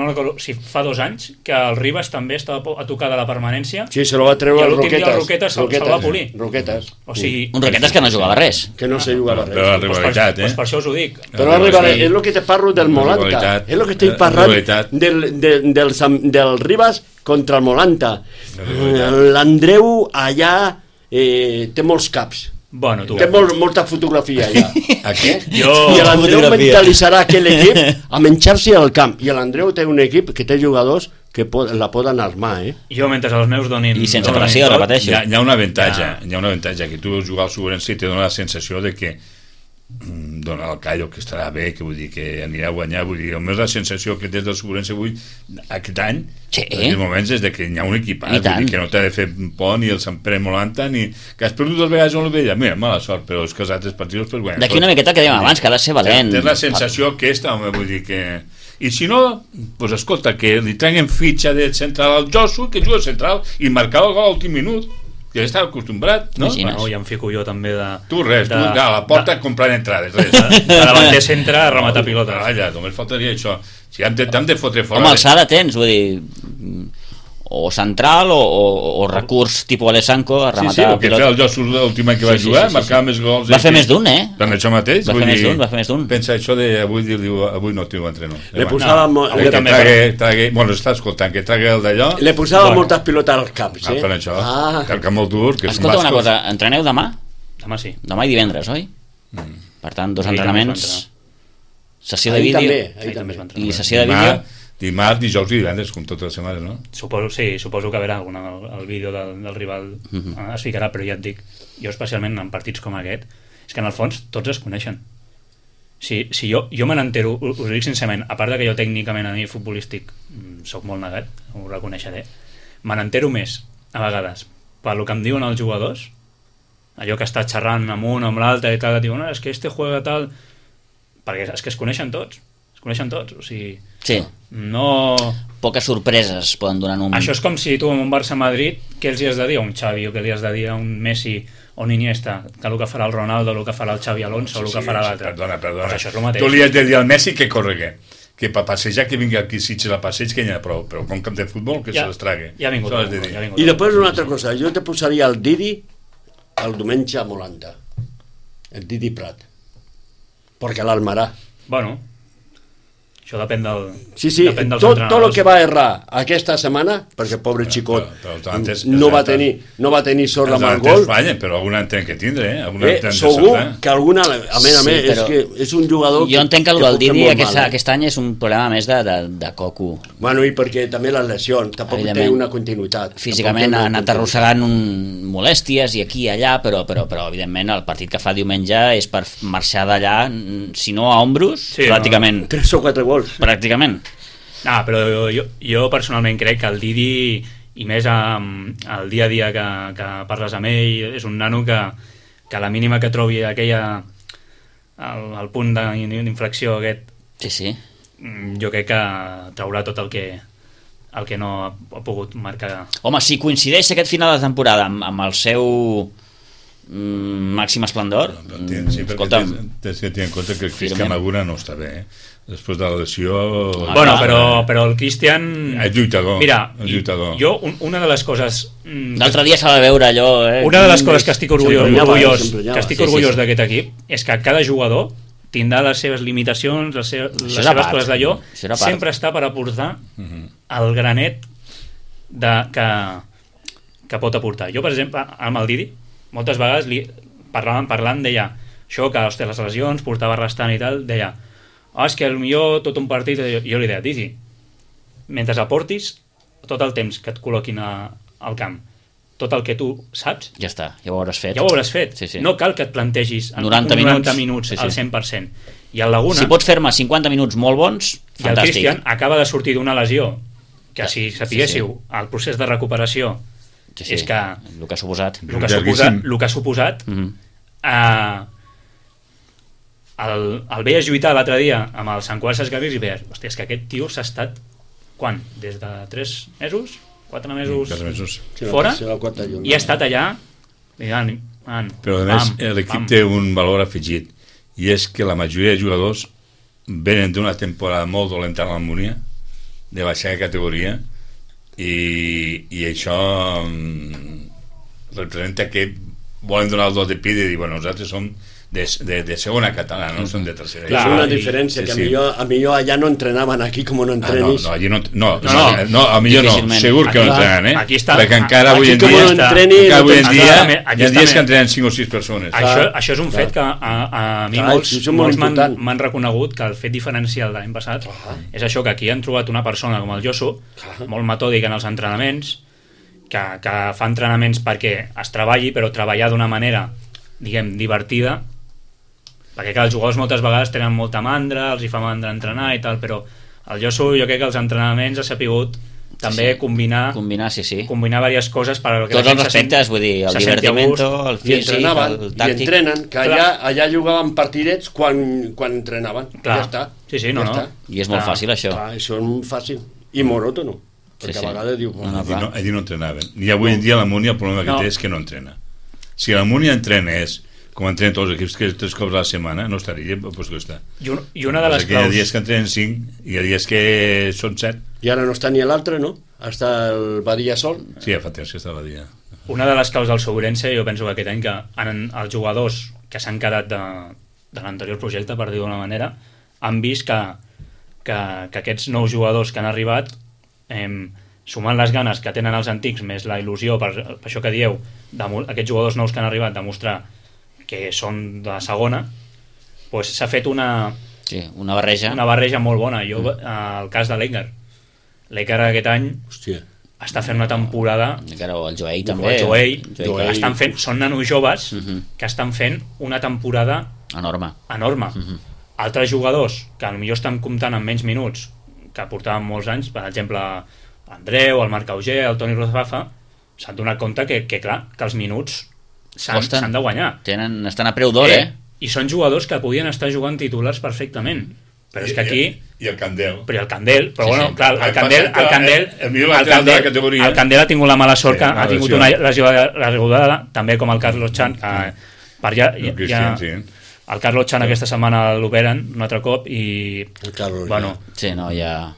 fa 2 anys que el Ribas també estava a tocar de la permanència? Sí, se lo va treure el Roquetes. I el Roquetes se'l va polir. Roquetes. O sigui, un Roquetes que no jugava res. Que no se jugava res. Però la rivalitat, per això us ho dic. Però la rivalitat, és el que te parlo del Molanta. És el que estic parlant del Ribas contra el Molanta. L'Andreu allà té molts caps. Bueno, té molta fotografia allà. I l'Andreu mentalitzarà aquell equip a menjar-se al camp. I l'Andreu té un equip que té jugadors que la poden armar, Jo, mentre els meus donin... I sense pressió, repeteixo. Hi ha un avantatge, que tu veus jugar al Sobrense i te dona la sensació de que dona el callo, que estarà bé, que vull dir que anirà a guanyar, vull dir, almenys la sensació que des del Sobrense avui, aquest any, en els moments és de que hi ha un equipat, vull dir que no t'ha de fer por ni el Sant Pere Molanta, ni que has perdut 2 vegades a l'Olivella, mira, mala sort, però és que els altres partits pues, guanyen. D'aquí una miqueta que dèiem abans, que ha de ser valent. Tens la sensació aquesta, home, vull dir que... I si no, pues escolta, que li trenguen fitxa de central al Josu, que juga central i marcava el gol a l'últim minut, que ja estava acostumbrat, no? Bueno, ja em fico jo també de... Tu res, tu a la porta comprant entrades, res. De davanter centre a rematar pilotes. Allà, només faltaria això. Si hem de fotre fora... Home, alçada tens, vull dir... O central o recurs tipus Alessanco a rematar el que feia el Josu l'últim any que va jugar, marcava més gols. Va fer més d'un, Per això mateix. Va fer més d'un. Pensa això de avui no t'ho entreno. Le posava... Bueno, està escoltant, que tragui el d'allò... Le posava moltes pilotes als caps, Per això, que el camp molt dur... Escolta una cosa, entreneu demà? Demà sí. Demà i divendres, oi? Per tant, 2 entrenaments... Sessió de vídeo... I sessió de vídeo... Dimarts, dijous i divendres, com totes les setmanes, no? Suposo que verà el vídeo del rival es ficarà, però ja et dic, jo especialment en partits com aquest, és que en el fons tots es coneixen. Si jo me n'entero, us ho dic sincerament, a part de que jo tècnicament a mi futbolístic soc molt negat, ho reconeixeré, me n'entero més, a vegades, pel que em diuen els jugadors, allò que està xerrant amb un o amb l'altre i tal, diuen, és que este juega tal... Perquè és que es coneixen tots, o sigui... Sí. No... Poques sorpreses poden donar un... Això és com si tu en un Barça-Madrid, què els hi has de dir a un Xavi o què li has de dir a un Messi o un Iniesta, que el que farà el Ronaldo, el que farà el Xavi Alonso, el que farà l'altre. Perdona. Pues això és el mateix. Tu li has de dir al Messi que corregui, que per passejar que vingui aquí Sitges a passeig que n'hi ha prou, però com camp de futbol que se les trague. Ja ha vingut. I després una altra cosa, jo te posaria el Didi el diumenge a Molanda, el Didi Prat, perquè l'Almarà. Bueno, això depèn del... Sí, tot el que va errar aquesta setmana, perquè pobre xicot no va tenir sort amb el gol. Fallen, però alguna en tenen que tindre, segur que alguna, a més, és que és un jugador jo entenc que el del Didi aquest any és un problema més de coco. Bueno, i perquè també les lesions, tampoc té una continuïtat. Físicament ha anat arrossegant molèsties i aquí i allà, però evidentment el partit que fa diumenge és per marxar d'allà, si no a ombros, pràcticament 3 o 4 gols. Pràcticament. No, però jo personalment crec que el Didi, i més el dia a dia que parles amb ell, és un nano que a la mínima que trobi el punt d'inflexió aquest, sí. Jo crec que traurà tot el que no ha pogut marcar. Home, si coincideix aquest final de temporada amb el seu màxim esplendor, sí, escolta'm, tens que tenir en compte que el Cristian Magura no està bé, després de la lesió... Bueno, però el Cristian... És lluitador. Mira, jo una de les coses... L'altre dia s'ha de veure allò... Una de les coses que estic orgullós d'aquest equip és que cada jugador tindrà les seves limitacions, les seves coses d'allò, sempre està per aportar el granet que pot aportar. Jo, per exemple, amb el Didi, moltes vegades parlant, deia això, que les lesions portava restant i tal, deia és que potser tot un partit, jo li deia, Didi, mentre aportis tot el temps que et col·loquin al camp, tot el que tu saps, ja està, ja ho hauràs fet. Sí. No cal que et plantegis 90 minuts al 100%. I el Laguna, si pots fer-me 50 minuts molt bons, fantàstic. I el Cristian acaba de sortir d'una lesió que, si sapiguéssiu, el procés de recuperació és que el que ha suposat el veies lluitar l'altre dia amb el Sant Cugat Sesgarrigues i veies, hòstia, és que aquest tio s'ha estat des de 3 mesos 4 mesos fora i ha estat allà però a més l'equip té un valor afegit i és que la majoria de jugadors venen d'una temporada molt dolenta a l'Almunia, de baixar de categoria, i això representa que volen donar el dos de pit i dir, bueno, nosaltres som de segona catalana, no som de tercera. Clar, és una diferència, que a millor allà no entrenaven, aquí com no entrenis. No, a millor no, segur que no entrenen, perquè encara avui en dia hi ha dies que entrenen 5 o 6 persones. Això és un fet que a mi molts m'han reconegut, que el fet diferencial de l'any passat és això, que aquí han trobat una persona com el Josu, molt metòdic en els entrenaments, que fa entrenaments perquè es treballi, però treballar d'una manera, diguem, divertida, perquè els jugadors moltes vegades tenen molta mandra, els hi fa mandra entrenar i tal, però el Josu, jo crec que els entrenaments ha sapigut també combinar diverses coses per a que tots els respectes, vull dir, el divertimento, el físic, el tàctic. I entrenen, que allà jugaven partidets quan entrenaven. Ja està. I és molt fàcil, això. Això és fàcil. I monòtono. Perquè a vegades diu... Allí no entrenaven. I avui en dia l'Almunia el problema que té és que no entrena. Si l'Almunia entrenés com entrenen tots els equips, que 3 cops a la setmana, no estaria, doncs que està. I una de les claus... Hi ha dies que entrenen 5 i hi ha dies que són 7. I ara no està ni l'altre, no? Està el Badia sol. Sí, fa temps que està el Badia. Una de les claus del Sourense, jo penso que aquest any que els jugadors que s'han quedat de l'anterior projecte, per dir-ho d'una manera, han vist que aquests nous jugadors que han arribat, sumant les ganes que tenen els antics, més la il·lusió, per això que dieu, aquests jugadors nous que han arribat, demostrar que són de segona, doncs s'ha fet una barreja molt bona. El cas de l'Egar aquest any està fent una temporada, o el Joey també, són nanos joves que estan fent una temporada enorme. Altres jugadors que potser estan comptant amb menys minuts, que portaven molts anys, per exemple l'Andreu, el Marc Auger, el Toni Rozbafa, s'han donat compte que els minuts s'han de guanyar. Estan a preu d'or, I són jugadors que podien estar jugant titulars perfectament. Però és que aquí... I el Candel. Però bueno, clar, el Candel ha tingut la mala sort que ha tingut una lesió regulada, també com el Carlos Chan, el Carlos Chan aquesta setmana l'operen un altre cop i bueno, sí, no, ja...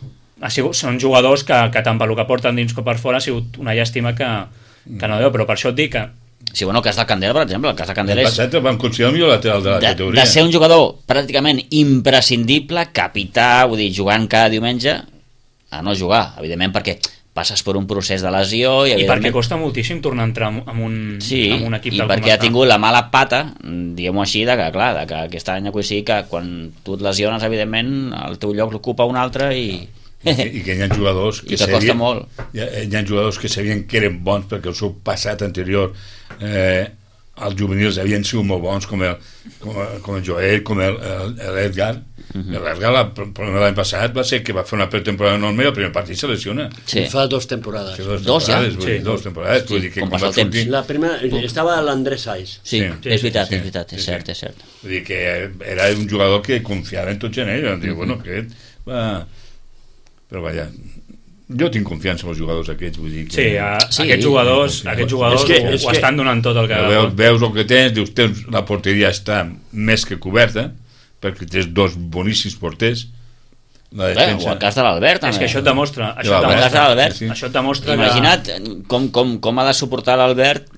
són jugadors que tant pel que porten dins com per fora ha sigut una llàstima que no veu, però per això et dic que sí, bueno, el cas del Candela, per exemple, el cas del Candela és... El vam considerar el millor lateral de la categoria. De ser un jugador pràcticament imprescindible, capità, vull dir, jugant cada diumenge, a no jugar, evidentment, perquè passes per un procés de lesió... I perquè costa moltíssim tornar a entrar en un equip i perquè ha tingut la mala pata, diguem-ho així, de que, clar, de que aquest any sigui que quan tu et lesiones, evidentment, el teu lloc l'ocupa un altre i que hi ha jugadors que costa molt. Hi ha jugadors que sabien que eren bons perquè el seu passat anterior els juvenils havien sigut molt bons, com el Joel, com l'Edgar. L'Edgar, el problema de l'any passat va ser que va fer una pretemporada enorme i el primer partit se lesiona. Fa 2 temporades. Dos temporades. Vull dir que com passa el temps. La primera estava l'Andrés Saiz. Sí, és veritat, és cert. Vull dir que era un jugador que confiava en tots en ell. Bueno, aquest va... Però vaja, jo tinc confiança en els jugadors aquests, vull dir que... Sí, aquests jugadors ho estan donant tot el que... Veus el que tens, dius, la porteria està més que coberta, perquè tens 2 boníssims porters, la defensa... O el cas de l'Albert, també. És que això et demostra... Això et demostra... Imagina't com ha de suportar l'Albert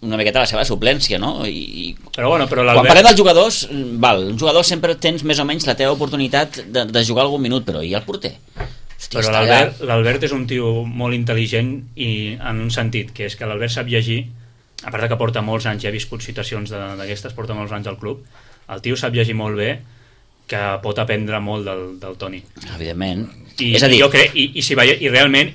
una miqueta la seva suplència, no? Però quan parlem dels jugadors, un jugador sempre tens més o menys la teva oportunitat de jugar algun minut, però i el porter? Hòstia, però l'Albert és un tio molt intel·ligent i en un sentit, que és que l'Albert sap llegir, a part que porta molts anys, ja ha viscut situacions d'aquestes, porta molts anys al club, el tio sap llegir molt bé, que pot aprendre molt del Toni. Evidentment. És a dir, jo crec, i realment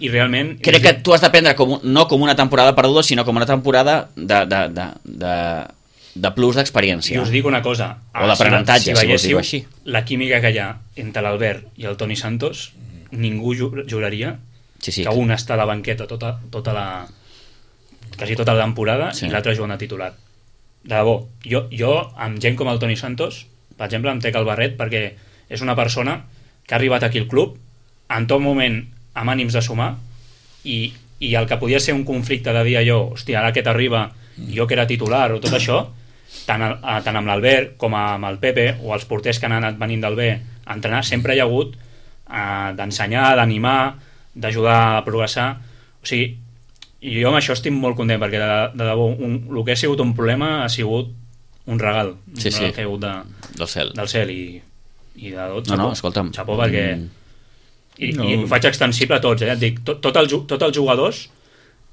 crec que tu has d'aprendre no com una temporada perduda, sinó com una temporada de plus d'experiència. I us dic una cosa, o d'aprenentatge, si veiéssiu la química que hi ha entre l'Albert i el Toni Santos, ningú juraria que un està a la banqueta quasi tota la temporada i l'altre jugant a titular. De debò, jo amb gent com el Toni Santos, per exemple, em trec el barret perquè és una persona que ha arribat aquí al club en tot moment amb ànims de sumar i el que podia ser un conflicte de dir allò, hòstia, ara que t'arriba jo que era titular o tot això, tant amb l'Albert com amb el Pepe o els porters que han anat venint del B a entrenar, sempre hi ha hagut d'ensenyar, d'animar, d'ajudar a progressar. O sigui, jo amb això estic molt content perquè de debò el que ha sigut un problema ha sigut un regal que ha caigut del cel i de tot, xapó perquè i ho faig extensible a tots, et dic, tots els jugadors,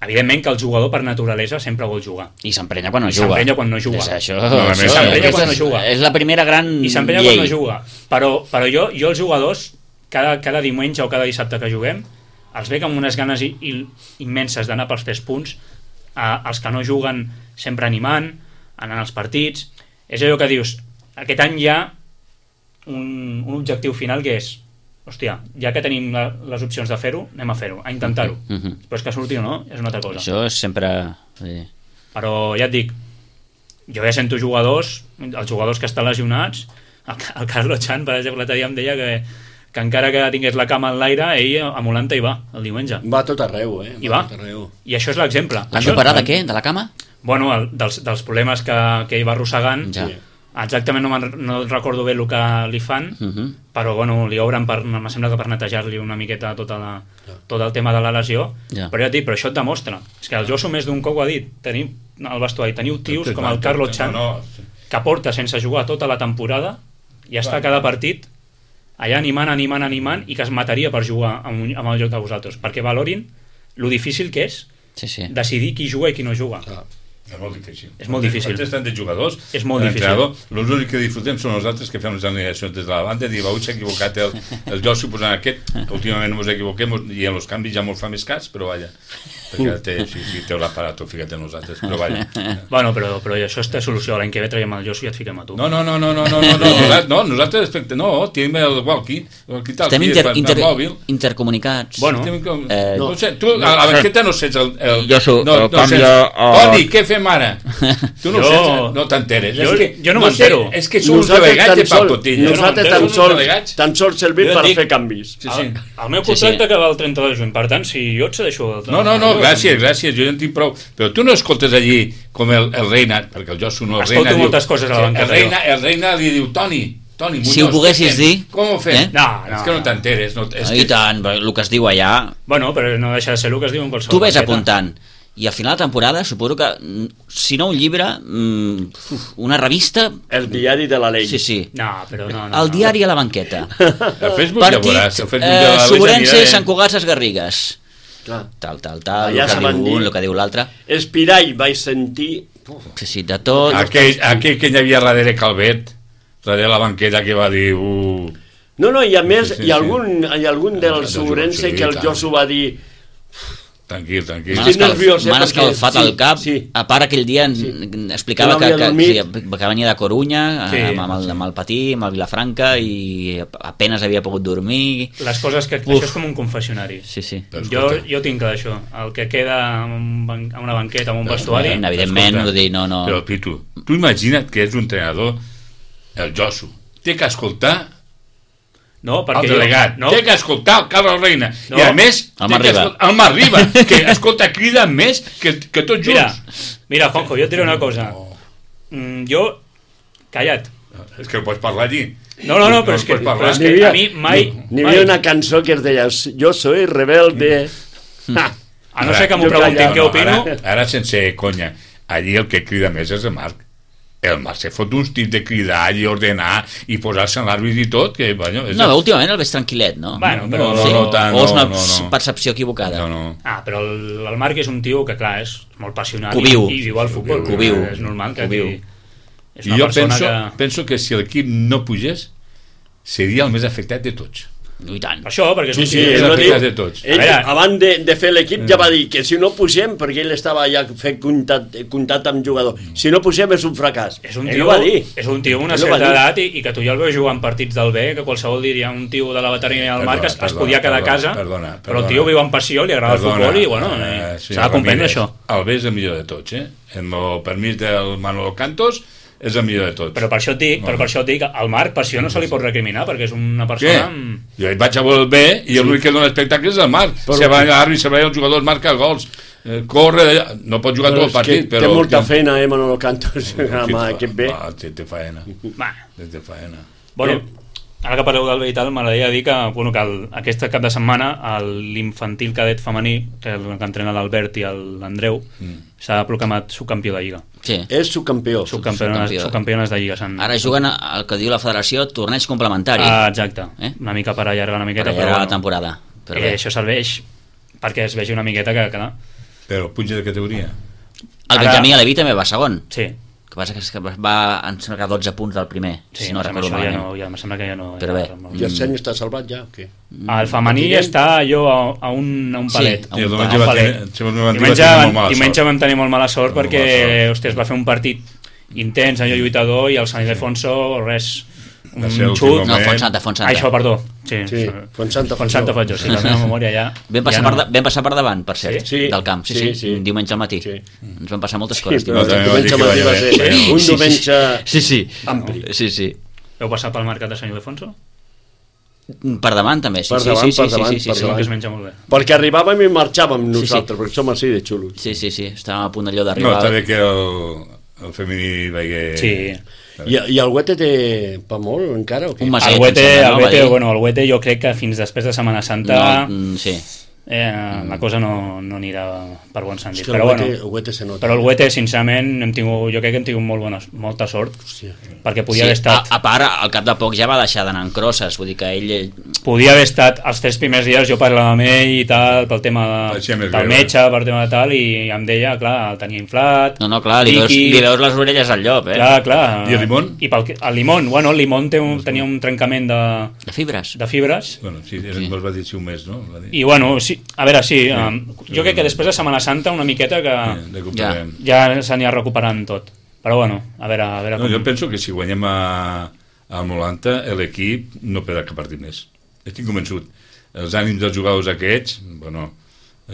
evidentment que el jugador per naturalesa sempre vol jugar i s'emprenya quan no juga, s'emprenya quan no juga, és la primera gran i s'emprenya quan no juga, però jo els jugadors cada diumenge o cada dissabte que juguem els veig amb unes ganes immenses d'anar pels 3 punts, els que no juguen sempre animant, anant als partits. És allò que dius, aquest any hi ha un objectiu final que és, hòstia, ja que tenim les opcions de fer-ho, anem a fer-ho, a intentar-ho. Però és que surti o no, és una altra cosa. Això és sempre... Però ja et dic, jo ja sento jugadors, els jugadors que estan lesionats, el Carlos Chan, per exemple, l'altre dia em deia que encara que tingués la cama en l'aire, ell a Molanta hi va, el diumenge. Va tot arreu, I va. I això és l'exemple. L'han d'operar de què? De la cama? Bueno, dels problemes que ell va arrossegant. Ja. Exactament no recordo bé el que li fan, però bueno, li obren em sembla que per netejar-li una miqueta tot el tema de la lesió, però ja et dic, però això et demostra, és que el Josu més d'un cop ho ha dit, teniu al vestuari, teniu tios com el Carlos Chan que porta sense jugar tota la temporada i està cada partit allà animant i que es mataria per jugar amb el joc de vosaltres, perquè valorin lo difícil que és decidir qui juga i qui no juga. És molt difícil. És molt difícil. Tant de jugadors, és molt difícil. Els únics que disfrutem són nosaltres que fem les alineacions des de la banda, dir, avui s'ha equivocat el Jossi posant aquest, que últimament ens equivoquem i en els canvis ja molt fa més cas, però vaja, perquè si té l'aparato, fica't en nosaltres, però vaja. Bueno, però això té solució, l'any que ve traiem el Jossi i et fiquem a tu. No, nosaltres tenim el walkie, estem intercomunicats. Bueno, no sé, tu a la banqueta no saps el Josu, Toni, què fem ara? Tu no saps, no t'enteres. Jo no m'entero. És que som uns delegats de pacotilla. Nosaltres tan sols servim per fer canvis. El meu contracte acaba el 30 de juny, per tant, si jo et cedeixo... No, gràcies, jo ja en tinc prou. Però tu no escoltes allí com el Reina, perquè el Josu no... Escolto moltes coses a la banqueta. El Reina li diu, Toni Muñoz, si ho poguessis dir... Com ho fem? No, és que no t'enteres. I tant, el que es diu allà... Bueno, però no deixa de ser el que es diu en qualsevol tu ves banqueta. apuntant, i al final de temporada suposo que, si no un llibre, una revista... El diari de la Ley. Sí. No, però no. El diari a la banqueta. El Facebook ja veuràs. Sobrense i Sant Cugat Ses Garrigues. Tal, allà el que diu l'altre. Espirall vaig sentir... Sí, de tot. Aquell que hi havia darrere Calvet, darrere la banqueta, que va dir... No, i a més, hi ha algun del Sobrense que el Josu va dir... Tranquil. M'han escalfat el cap. A part aquell dia explicava que venia de Corunya amb el Patí, amb el Vilafranca, i apenas havia pogut dormir. Les coses que... Això és com un confessionari. Sí. Jo tinc clar això. El que queda a una banqueta, a un vestuari... Evidentment, no dir no. Però, Pitu, tu imagina't que és un entrenador, el Josu, té que escoltar no, perquè el delegat, té que escoltar el Carlos Reina, i a més el Mar Riba, que escolta, crida més que tots junts. Mira, Juanjo, jo et diré una cosa. Jo, calla't. És que no pots parlar allí. No, però és que a mi mai... N'hi havia una cançó que es deia Jo soy rebelde. A no ser que m'ho preguntin què opino... Ara sense conya, allí el que crida més és el Marc. El Marc se fot uns tips de cridar i ordenar i posar-se en l'àrbit i tot, que... No, últimament el veig tranquil·let, no? Bueno, però... O és una percepció equivocada. Però el Marc és un tio que, clar, és molt passionat i viu al futbol. És normal que és una persona que... Jo penso que si l'equip no pugés, seria el més afectat de tots. I tant. Això, perquè és un tio més afectat de tots. Ell, abans de fer l'equip, ja va dir que si no pugem, perquè ell estava ja fent contacte amb jugador, si no pugem és un fracàs. És un tio amb una certa edat i que tu ja el veus jugant partits del B, que qualsevol diria un tio de la veterania del Marc es podia quedar a casa, però el tio viu amb passió, li agrada el futbol i bueno, s'ha de comprendre això. El B és el millor de tots, en el permís del Manolo Cantos és el millor de tots. Però per això et dic, al Marc per això no se li pot recriminar, perquè és una persona... Jo hi vaig a veure el B i l'únic que dona espectacle és el Marc. Se va a l'àrbit, se va els jugadors, marca gols, corre d'allà, no pot jugar tot el partit, però... Té molta feina, Manolo Cantos, amb aquest B. Té faena. Bueno, ara que parleu del B i tal, m'agradaria dir que aquest cap de setmana l'infantil cadet femení, que entrena l'Albert i l'Andreu, s'ha proclamat subcampió de Lliga. Sí. És subcampió. Subcampiones de Lliga. Ara juguen el que diu la federació, torneig complementari. Exacte. Una mica per allargar una miqueta. Per allargar la temporada. Això serveix perquè es vegi una miqueta que... Però puja de categoria. El Benjamí Aleví també va segon. Sí. El que passa és que va encercar 12 punts del primer, si no recordo malament. Em sembla que ja no... Però bé. I el seny està salvat ja, o què? El femení està allò a un palet. Sí, diumenge vam tenir molt mala sort perquè es va fer un partit intens, allò lluitador, i el Sant Ildefonso, res... un xut... No, Fontsanta. Això, perdó. Sí, Fontsanta faig jo, la meva memòria ja... Vam passar per davant, per cert, del camp. Sí, diumenge al matí. Ens van passar moltes coses. Diumenge al matí va ser un diumenge ampli. Sí. Heu passat pel mercat de Sant Ildefonso? Per davant també, sí. Que es menja molt bé. Perquè arribàvem i marxàvem nosaltres, perquè som així de xulos. Sí, estàvem a punt d'allò d'arribar. No, està bé que el femení vegi... Sí. I el Huete té pa molt encara o què? El Huete jo crec que fins després de Setmana Santa la cosa no anirà per bon sentit, però bueno, però el Huete sincerament jo crec que hem tingut molta sort, perquè podia haver estat, a part al cap de poc ja va deixar d'anar en crosses, vull dir que ell podia haver estat els 3 primers dies, jo parlava amb ell i tal, pel tema del metge, per tema de tal, i em deia, clar, el tenia inflat, clar, li veus les orelles al llop, clar. I el Limón? El Limón tenia un trencament de fibres. Bueno, sí, ens va dir un mes, no? I bueno, sí, a veure, jo crec que després de Setmana Santa una miqueta que ja s'anirà recuperant tot, però bueno, a veure jo penso que si guanyem al 90 l'equip no perdrà cap partit més, estic convençut. Els ànims dels jugadors aquests, bueno,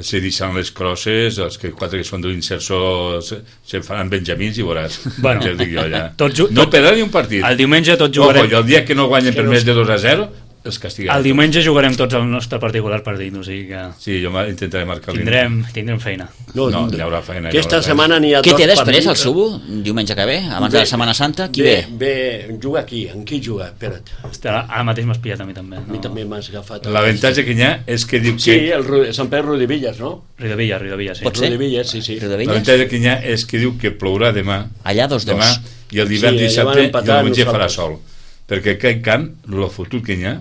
se deixaran les crosses, els 4 que són de l'Inserso se faran benjamins i veuràs, bueno, ja dic jo allà. No perdrà ni un partit. El diumenge tots jugarem. El dia que no guanyen per més de 2-0 els castigarà. El diumenge jugarem tots el nostre particular partit, o sigui que... Sí, jo intentaré marcar tindrem feina. No, hi haurà feina. Aquesta setmana n'hi ha Què dos té després el partits. Subo, diumenge que ve, abans de la Setmana Santa? Qui ve? Juga aquí. En qui juga? Espera't. Ara mateix m'has pillat a mi també. A mi també m'has agafat. L'avantatge que hi ha és que diu que... Sí, el Sant Pere Riudevillas, no? Riudevillas, sí. Pot ser? Riudevillas, sí. L'avantatge que hi ha és que diu que plourà demà. Allà 2-2. Demà, i el divendres i allà van dissabte i empatar el diumenge farà nosaltres. sol. Perquè aquest camp, el fotut que hi ha,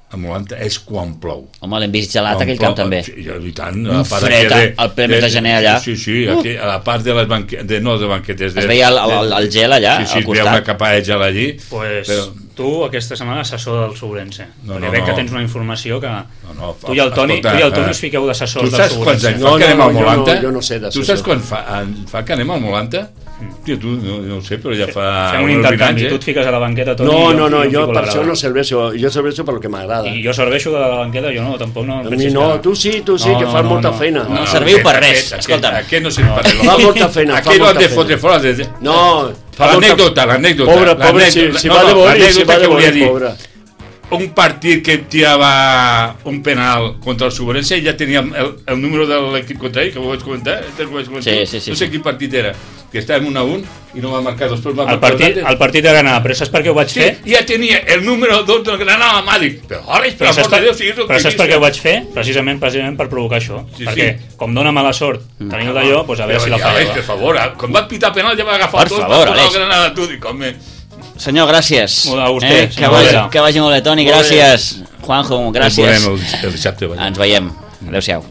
a Molanta, és quan plou. Home, l'hem vist gelat aquell camp també. I tant. Un fred al ple mes de gener allà. Sí, aquí, a la part de les banquetes, no de banquetes. Es veia el gel allà, al costat. Sí, al veia una capa de gel allí. Pues tu aquesta setmana assessor del Sobrense. Perquè veig que tens una informació que... Tu i el Toni us fiqueu d'assessors del Sobrense. Tu saps quants anys fa que anem al Molanta? Jo no sé d'assessor. Tu saps quan fa que anem al Molanta? Tio, tu no ho sé, però ja fa... Fem un intercanvi, tu et fiques a la banqueta, Toni. No, jo per això no serveixo. Jo serveixo per lo que m'agrada. I jo serveixo de la banqueta, jo no, tampoc no... No, tu sí, que fas molta feina. No serviu per res, escolta'm. Aquest no serveix per res. Fa molta feina, Aquí no han de fotre fora... No, l'anècdota. Pobre, si va de bori, pobre. Un partit que tirava un penal contra el Sobrense i ja tenia el número de l'equip contrari, que ho vaig comentar. Sí. No sé quin partit era, que estàvem 1-1 i no va marcar després. El partit de Granada, però saps per què ho vaig fer? Ja tenia el número 2 del Granada a Màdic. Però saps per què ho vaig fer? Precisament per provocar això. Perquè com dona mala sort tenir-ho d'allò, doncs a veure si la fallava. Per favor, quan va pitar penal ja va agafar tot per el Granada. Tu dic, home... Senyor, gràcies. A vostè, que vagi molt bé, Toni, gràcies. Juanjo, gràcies. El dissabte. Ens veiem. Adéu-siau.